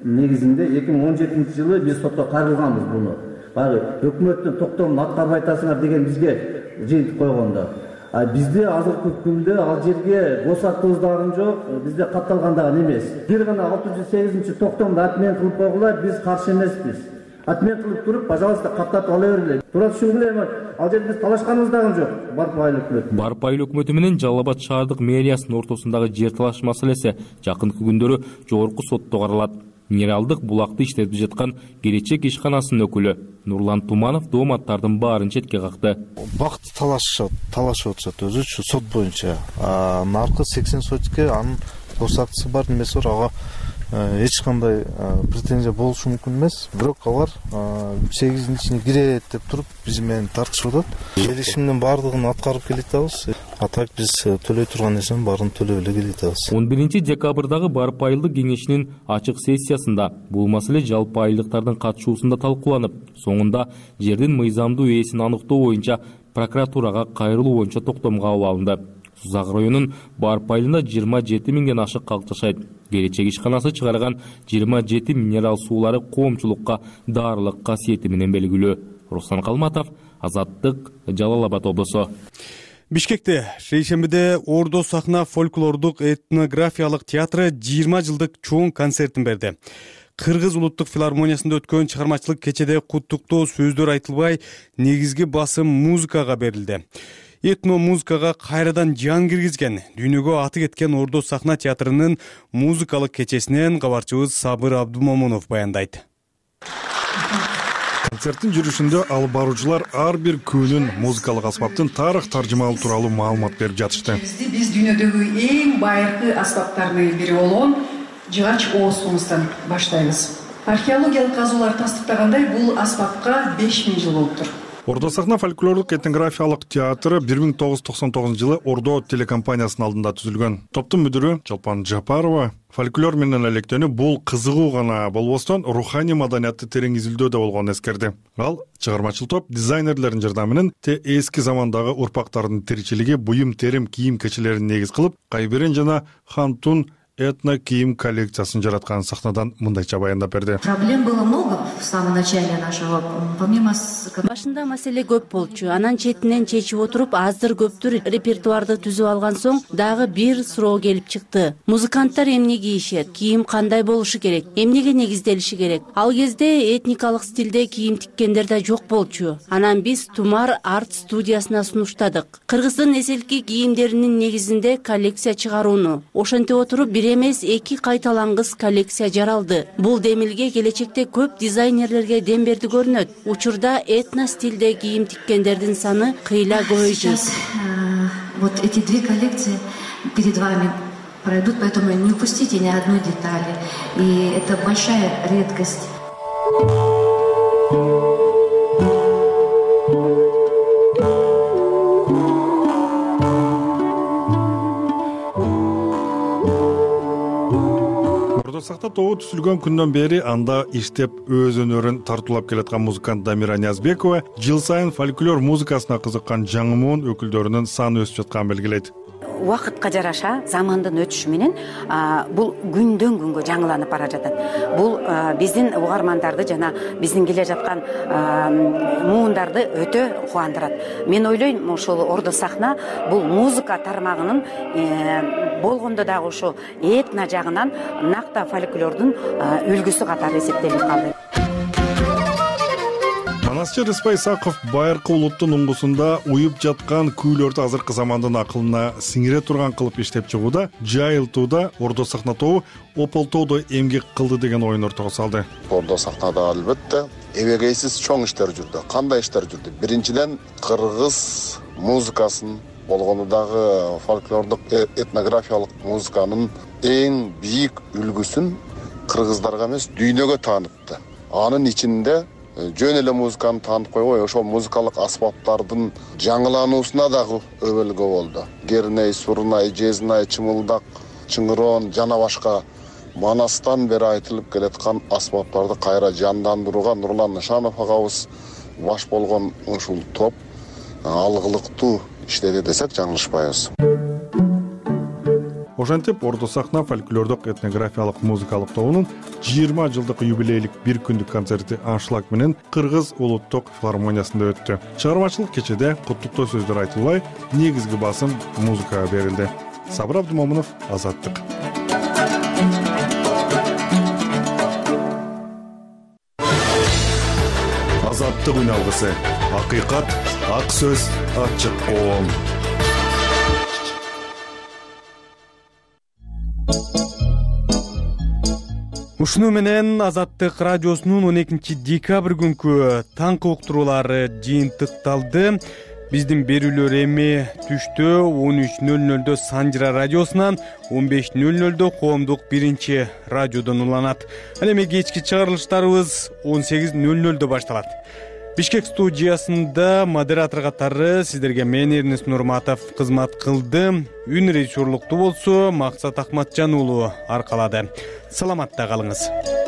негизинде эки миң он жетинчи жылы биз сотко кайрылганбыз буну. Баягы өкмөттүн токтомун аткарбай атасыңар деген бизге жыйынтык койгондо. А бизде азыркы күндө ал жерге босатыбыз дагы жок, бизде катталган дагы эмес. Бир гана алты жүз сегизинчи токтомду отмен кылып койгула, биз каршы эмеспиз. Отмен кылып туруп, пожалуйста, каттатып ала бергиле. Туура түшүнгүлө, ал жерде биз талашканыбыз дагы жок. Барпа айыл өкмөтү. Барпа айыл өкмөтү менен Жалал Абад шаардык мэриясынын ортосундагы жер талаш маселеси жакынкы күндөрү жогорку сотто каралат. Минералдык булакты иштетип жаткан келечек ишканасынын өкүлү Нурлан Туманов дооматтардын баарын четке какты. Бакты талашып, талашып атышат өзүчү сот боюнча. Наркы сексен сотикке анын гос актысы бар, немеси бар, ага эч кандай претензия болушу мүмкүн эмес, бирок алар сегиздин ичине кирет деп туруп биз менен тартышып атат. Келишимдин баардыгын аткарып келатабыз. А так биз төлөй турган нерсенин баарын төлөп эле келатабыз. он биринчи декабрдагы барпа айылдык кеңешинин ачык сессиясында бул маселе жалпы айылдыктардын катышуусунда талкууланып, соңунда жердин мыйзамдуу ээсин аныктоо боюнча прокуратурага кайрылуу боюнча токтомго кабыл алынды. Сузак районунун барпа айылында жыйырма жети миңден ашык калк жашайт. Келечек ишканасы чыгарган жыйырма жети минерал суулары коомчулукка даарылык касиети менен белгилүү. Руслан Калматов, Азаттык, Жалал Абад облусу. Бишкекте шейшембиде Ордо сахна фольклордук этнографиялык театры жыйырма жылдык чоң концертин берди. Кыргыз улуттук филармониясында өткөн чыгармачылык кечеде куттуктоо сөздөр айтылбай, негизги басым музыкага берилди. Этно музыкага кайрадан жан киргизген, дүйнөгө аты кеткен Ордо сахна театрынын музыкалык кечесинен кабарчыбыз Сабыр Абдумомунов баяндайт. Концерттин жүрүшүндө алып баруучулар ар бир күнүн музыкалык аспаптын тарых таржымалуу тууралуу маалымат берип жатышты. Биз дүйнөдөгү эң байыркы аспаптардын бири болгон жыгач оозкумуздан баштайбыз. Археологиялык казуулар тастыктагандай, бул аспапка беш миң жыл болуптур. Ордо сахна фольклорлук этнографиялык театры бир миң тогуз жүз токсон тогузунчу жылы Ордо телекомпаниясынын алдында түзүлгөн. Топтун мүдүрү Чолпон Жапарова фольклор менен электөнүү бул кызыгуу гана болбостон руханий маданиятты терең изилдөөдө болгонун эскерди. Ал чыгармачыл топ дизайнерлердин жардамы те эски замандагы урпактардын тиричилиги, буюм терим кийим кечелерин негиз кылып, Кайберен жана Хантун этно кийим коллекциясын жараткан сахнадан мындайча баяндап берди. Проблем было много в самом начале нашего, помимо... Башында маселе көп болчу. Анан четинен чечип отуруп, аздыр көптүр репертуарды түзүп алган соң, дагы бир суроо келип чыкты. Музыканттар эмне кийишет? Кийим кандай болушу керек? Эмнеге негизделиши керек? Ал кезде этникалык стилде кийим тиккендер да жок болчу. Анан биз Тумар арт студиясына сунуштадык. Кыргыздын эселки кийимдеринин негизинде коллекция чыгарууну. Ошентип отуруп бир эмес эки кайталангыс коллекция жаралды. Бул демилге келечекте көп дизайнерлерге дем берди көрүнөт. Учурда этно стилде кийим тиккендердин саны кыйла көбөйдү. Вот эти две коллекции перед вами пройдут, поэтому не упустите ни одной детали. И это большая редкость. Сахта тобу түзүлгөн күндөн бери анда иштеп өз өнөрүн тартуулап келаткан музыкант Дамира Ниязбекова жыл сайын фольклор музыкасына кызыккан жаңы муун өкүлдөрүнүн саны өсүп жатканын белгилейт. Убакытка жараша замандын өтүшү менен бул күндөн күнгө жаңыланып бара жатат. Бул биздин угармандарды жана биздин келе жаткан муундарды өтө кубандырат. Мен ойлойм, ошол Ордо сахна бул музыка тармагынын болгондо дагы ошо этно жагынан накта фольклордун үлгүсү катары эсептелип калды. Манасчы Рыспай Исаков байыркы улуттун уңгусунда уюп жаткан күүлөрдү азыркы замандын акылына сиңире турган кылып иштеп чыгууда, жайылтууда Ордо сахна тобу ополтоодо эмгек кылды деген оюн ортого салды. Ордо сахнада албетте эбегейсиз чоң иштер жүрдү. Кандай иштер жүрдү? Биринчиден кыргыз музыкасын, болгону дагы фольклордук этнографиялык музыканын эң бийик үлгүсүн кыргыздарга эмес дүйнөгө таанытты. Анын ичинде жөн эле музыканы таанып койбой, ошол музыкалык аспаптардын жаңылануусуна дагы өбөлгө болду. Герней, сурнай, жезнай, чымылдак, чыңырон жана башка Манастан бери айтылып келаткан аспаптарды кайра жандандырууга Нурлан Нышанов агабыз баш болгон ушул топ алгылыктуу иштеди десек жаңылышпайбыз. Ошентип Ордо сахна фольклордук этнографиялык музыкалык тобунун жыйырма жылдык юбилейлик бир күндүк концерти аншлаг менен Кыргыз улуттук филармониясында өттү. Чыгармачылык кечеде куттуктоо сөздөр айтылбай, негизги басым музыкага берилди. Сабыр Абдумомунов, Азаттык. Азаттык үн алгысы. Акыйкат, ак сөз, ачык коом. Ушуну менен Азаттык радиосунун он экинчи декабрь күнкү таңкы уктуруулары жыйынтыкталды. Биздин берүүлөр эми түштө он үч нөл нөлдө Санжыра радиосунан, он беш нөл нөлдө коомдук биринчи радиодон уланат. Ал эми кечки чыгарылыштарыбыз он сегиз нөл нөлдө башталат. Бишкек студиясында модератор катары сиздерге мен Эрнест Нурматов кызмат кылды. Үн режиссерлукту болсо Максат Акматжан уулу аркалады. Саламатта калыңыз.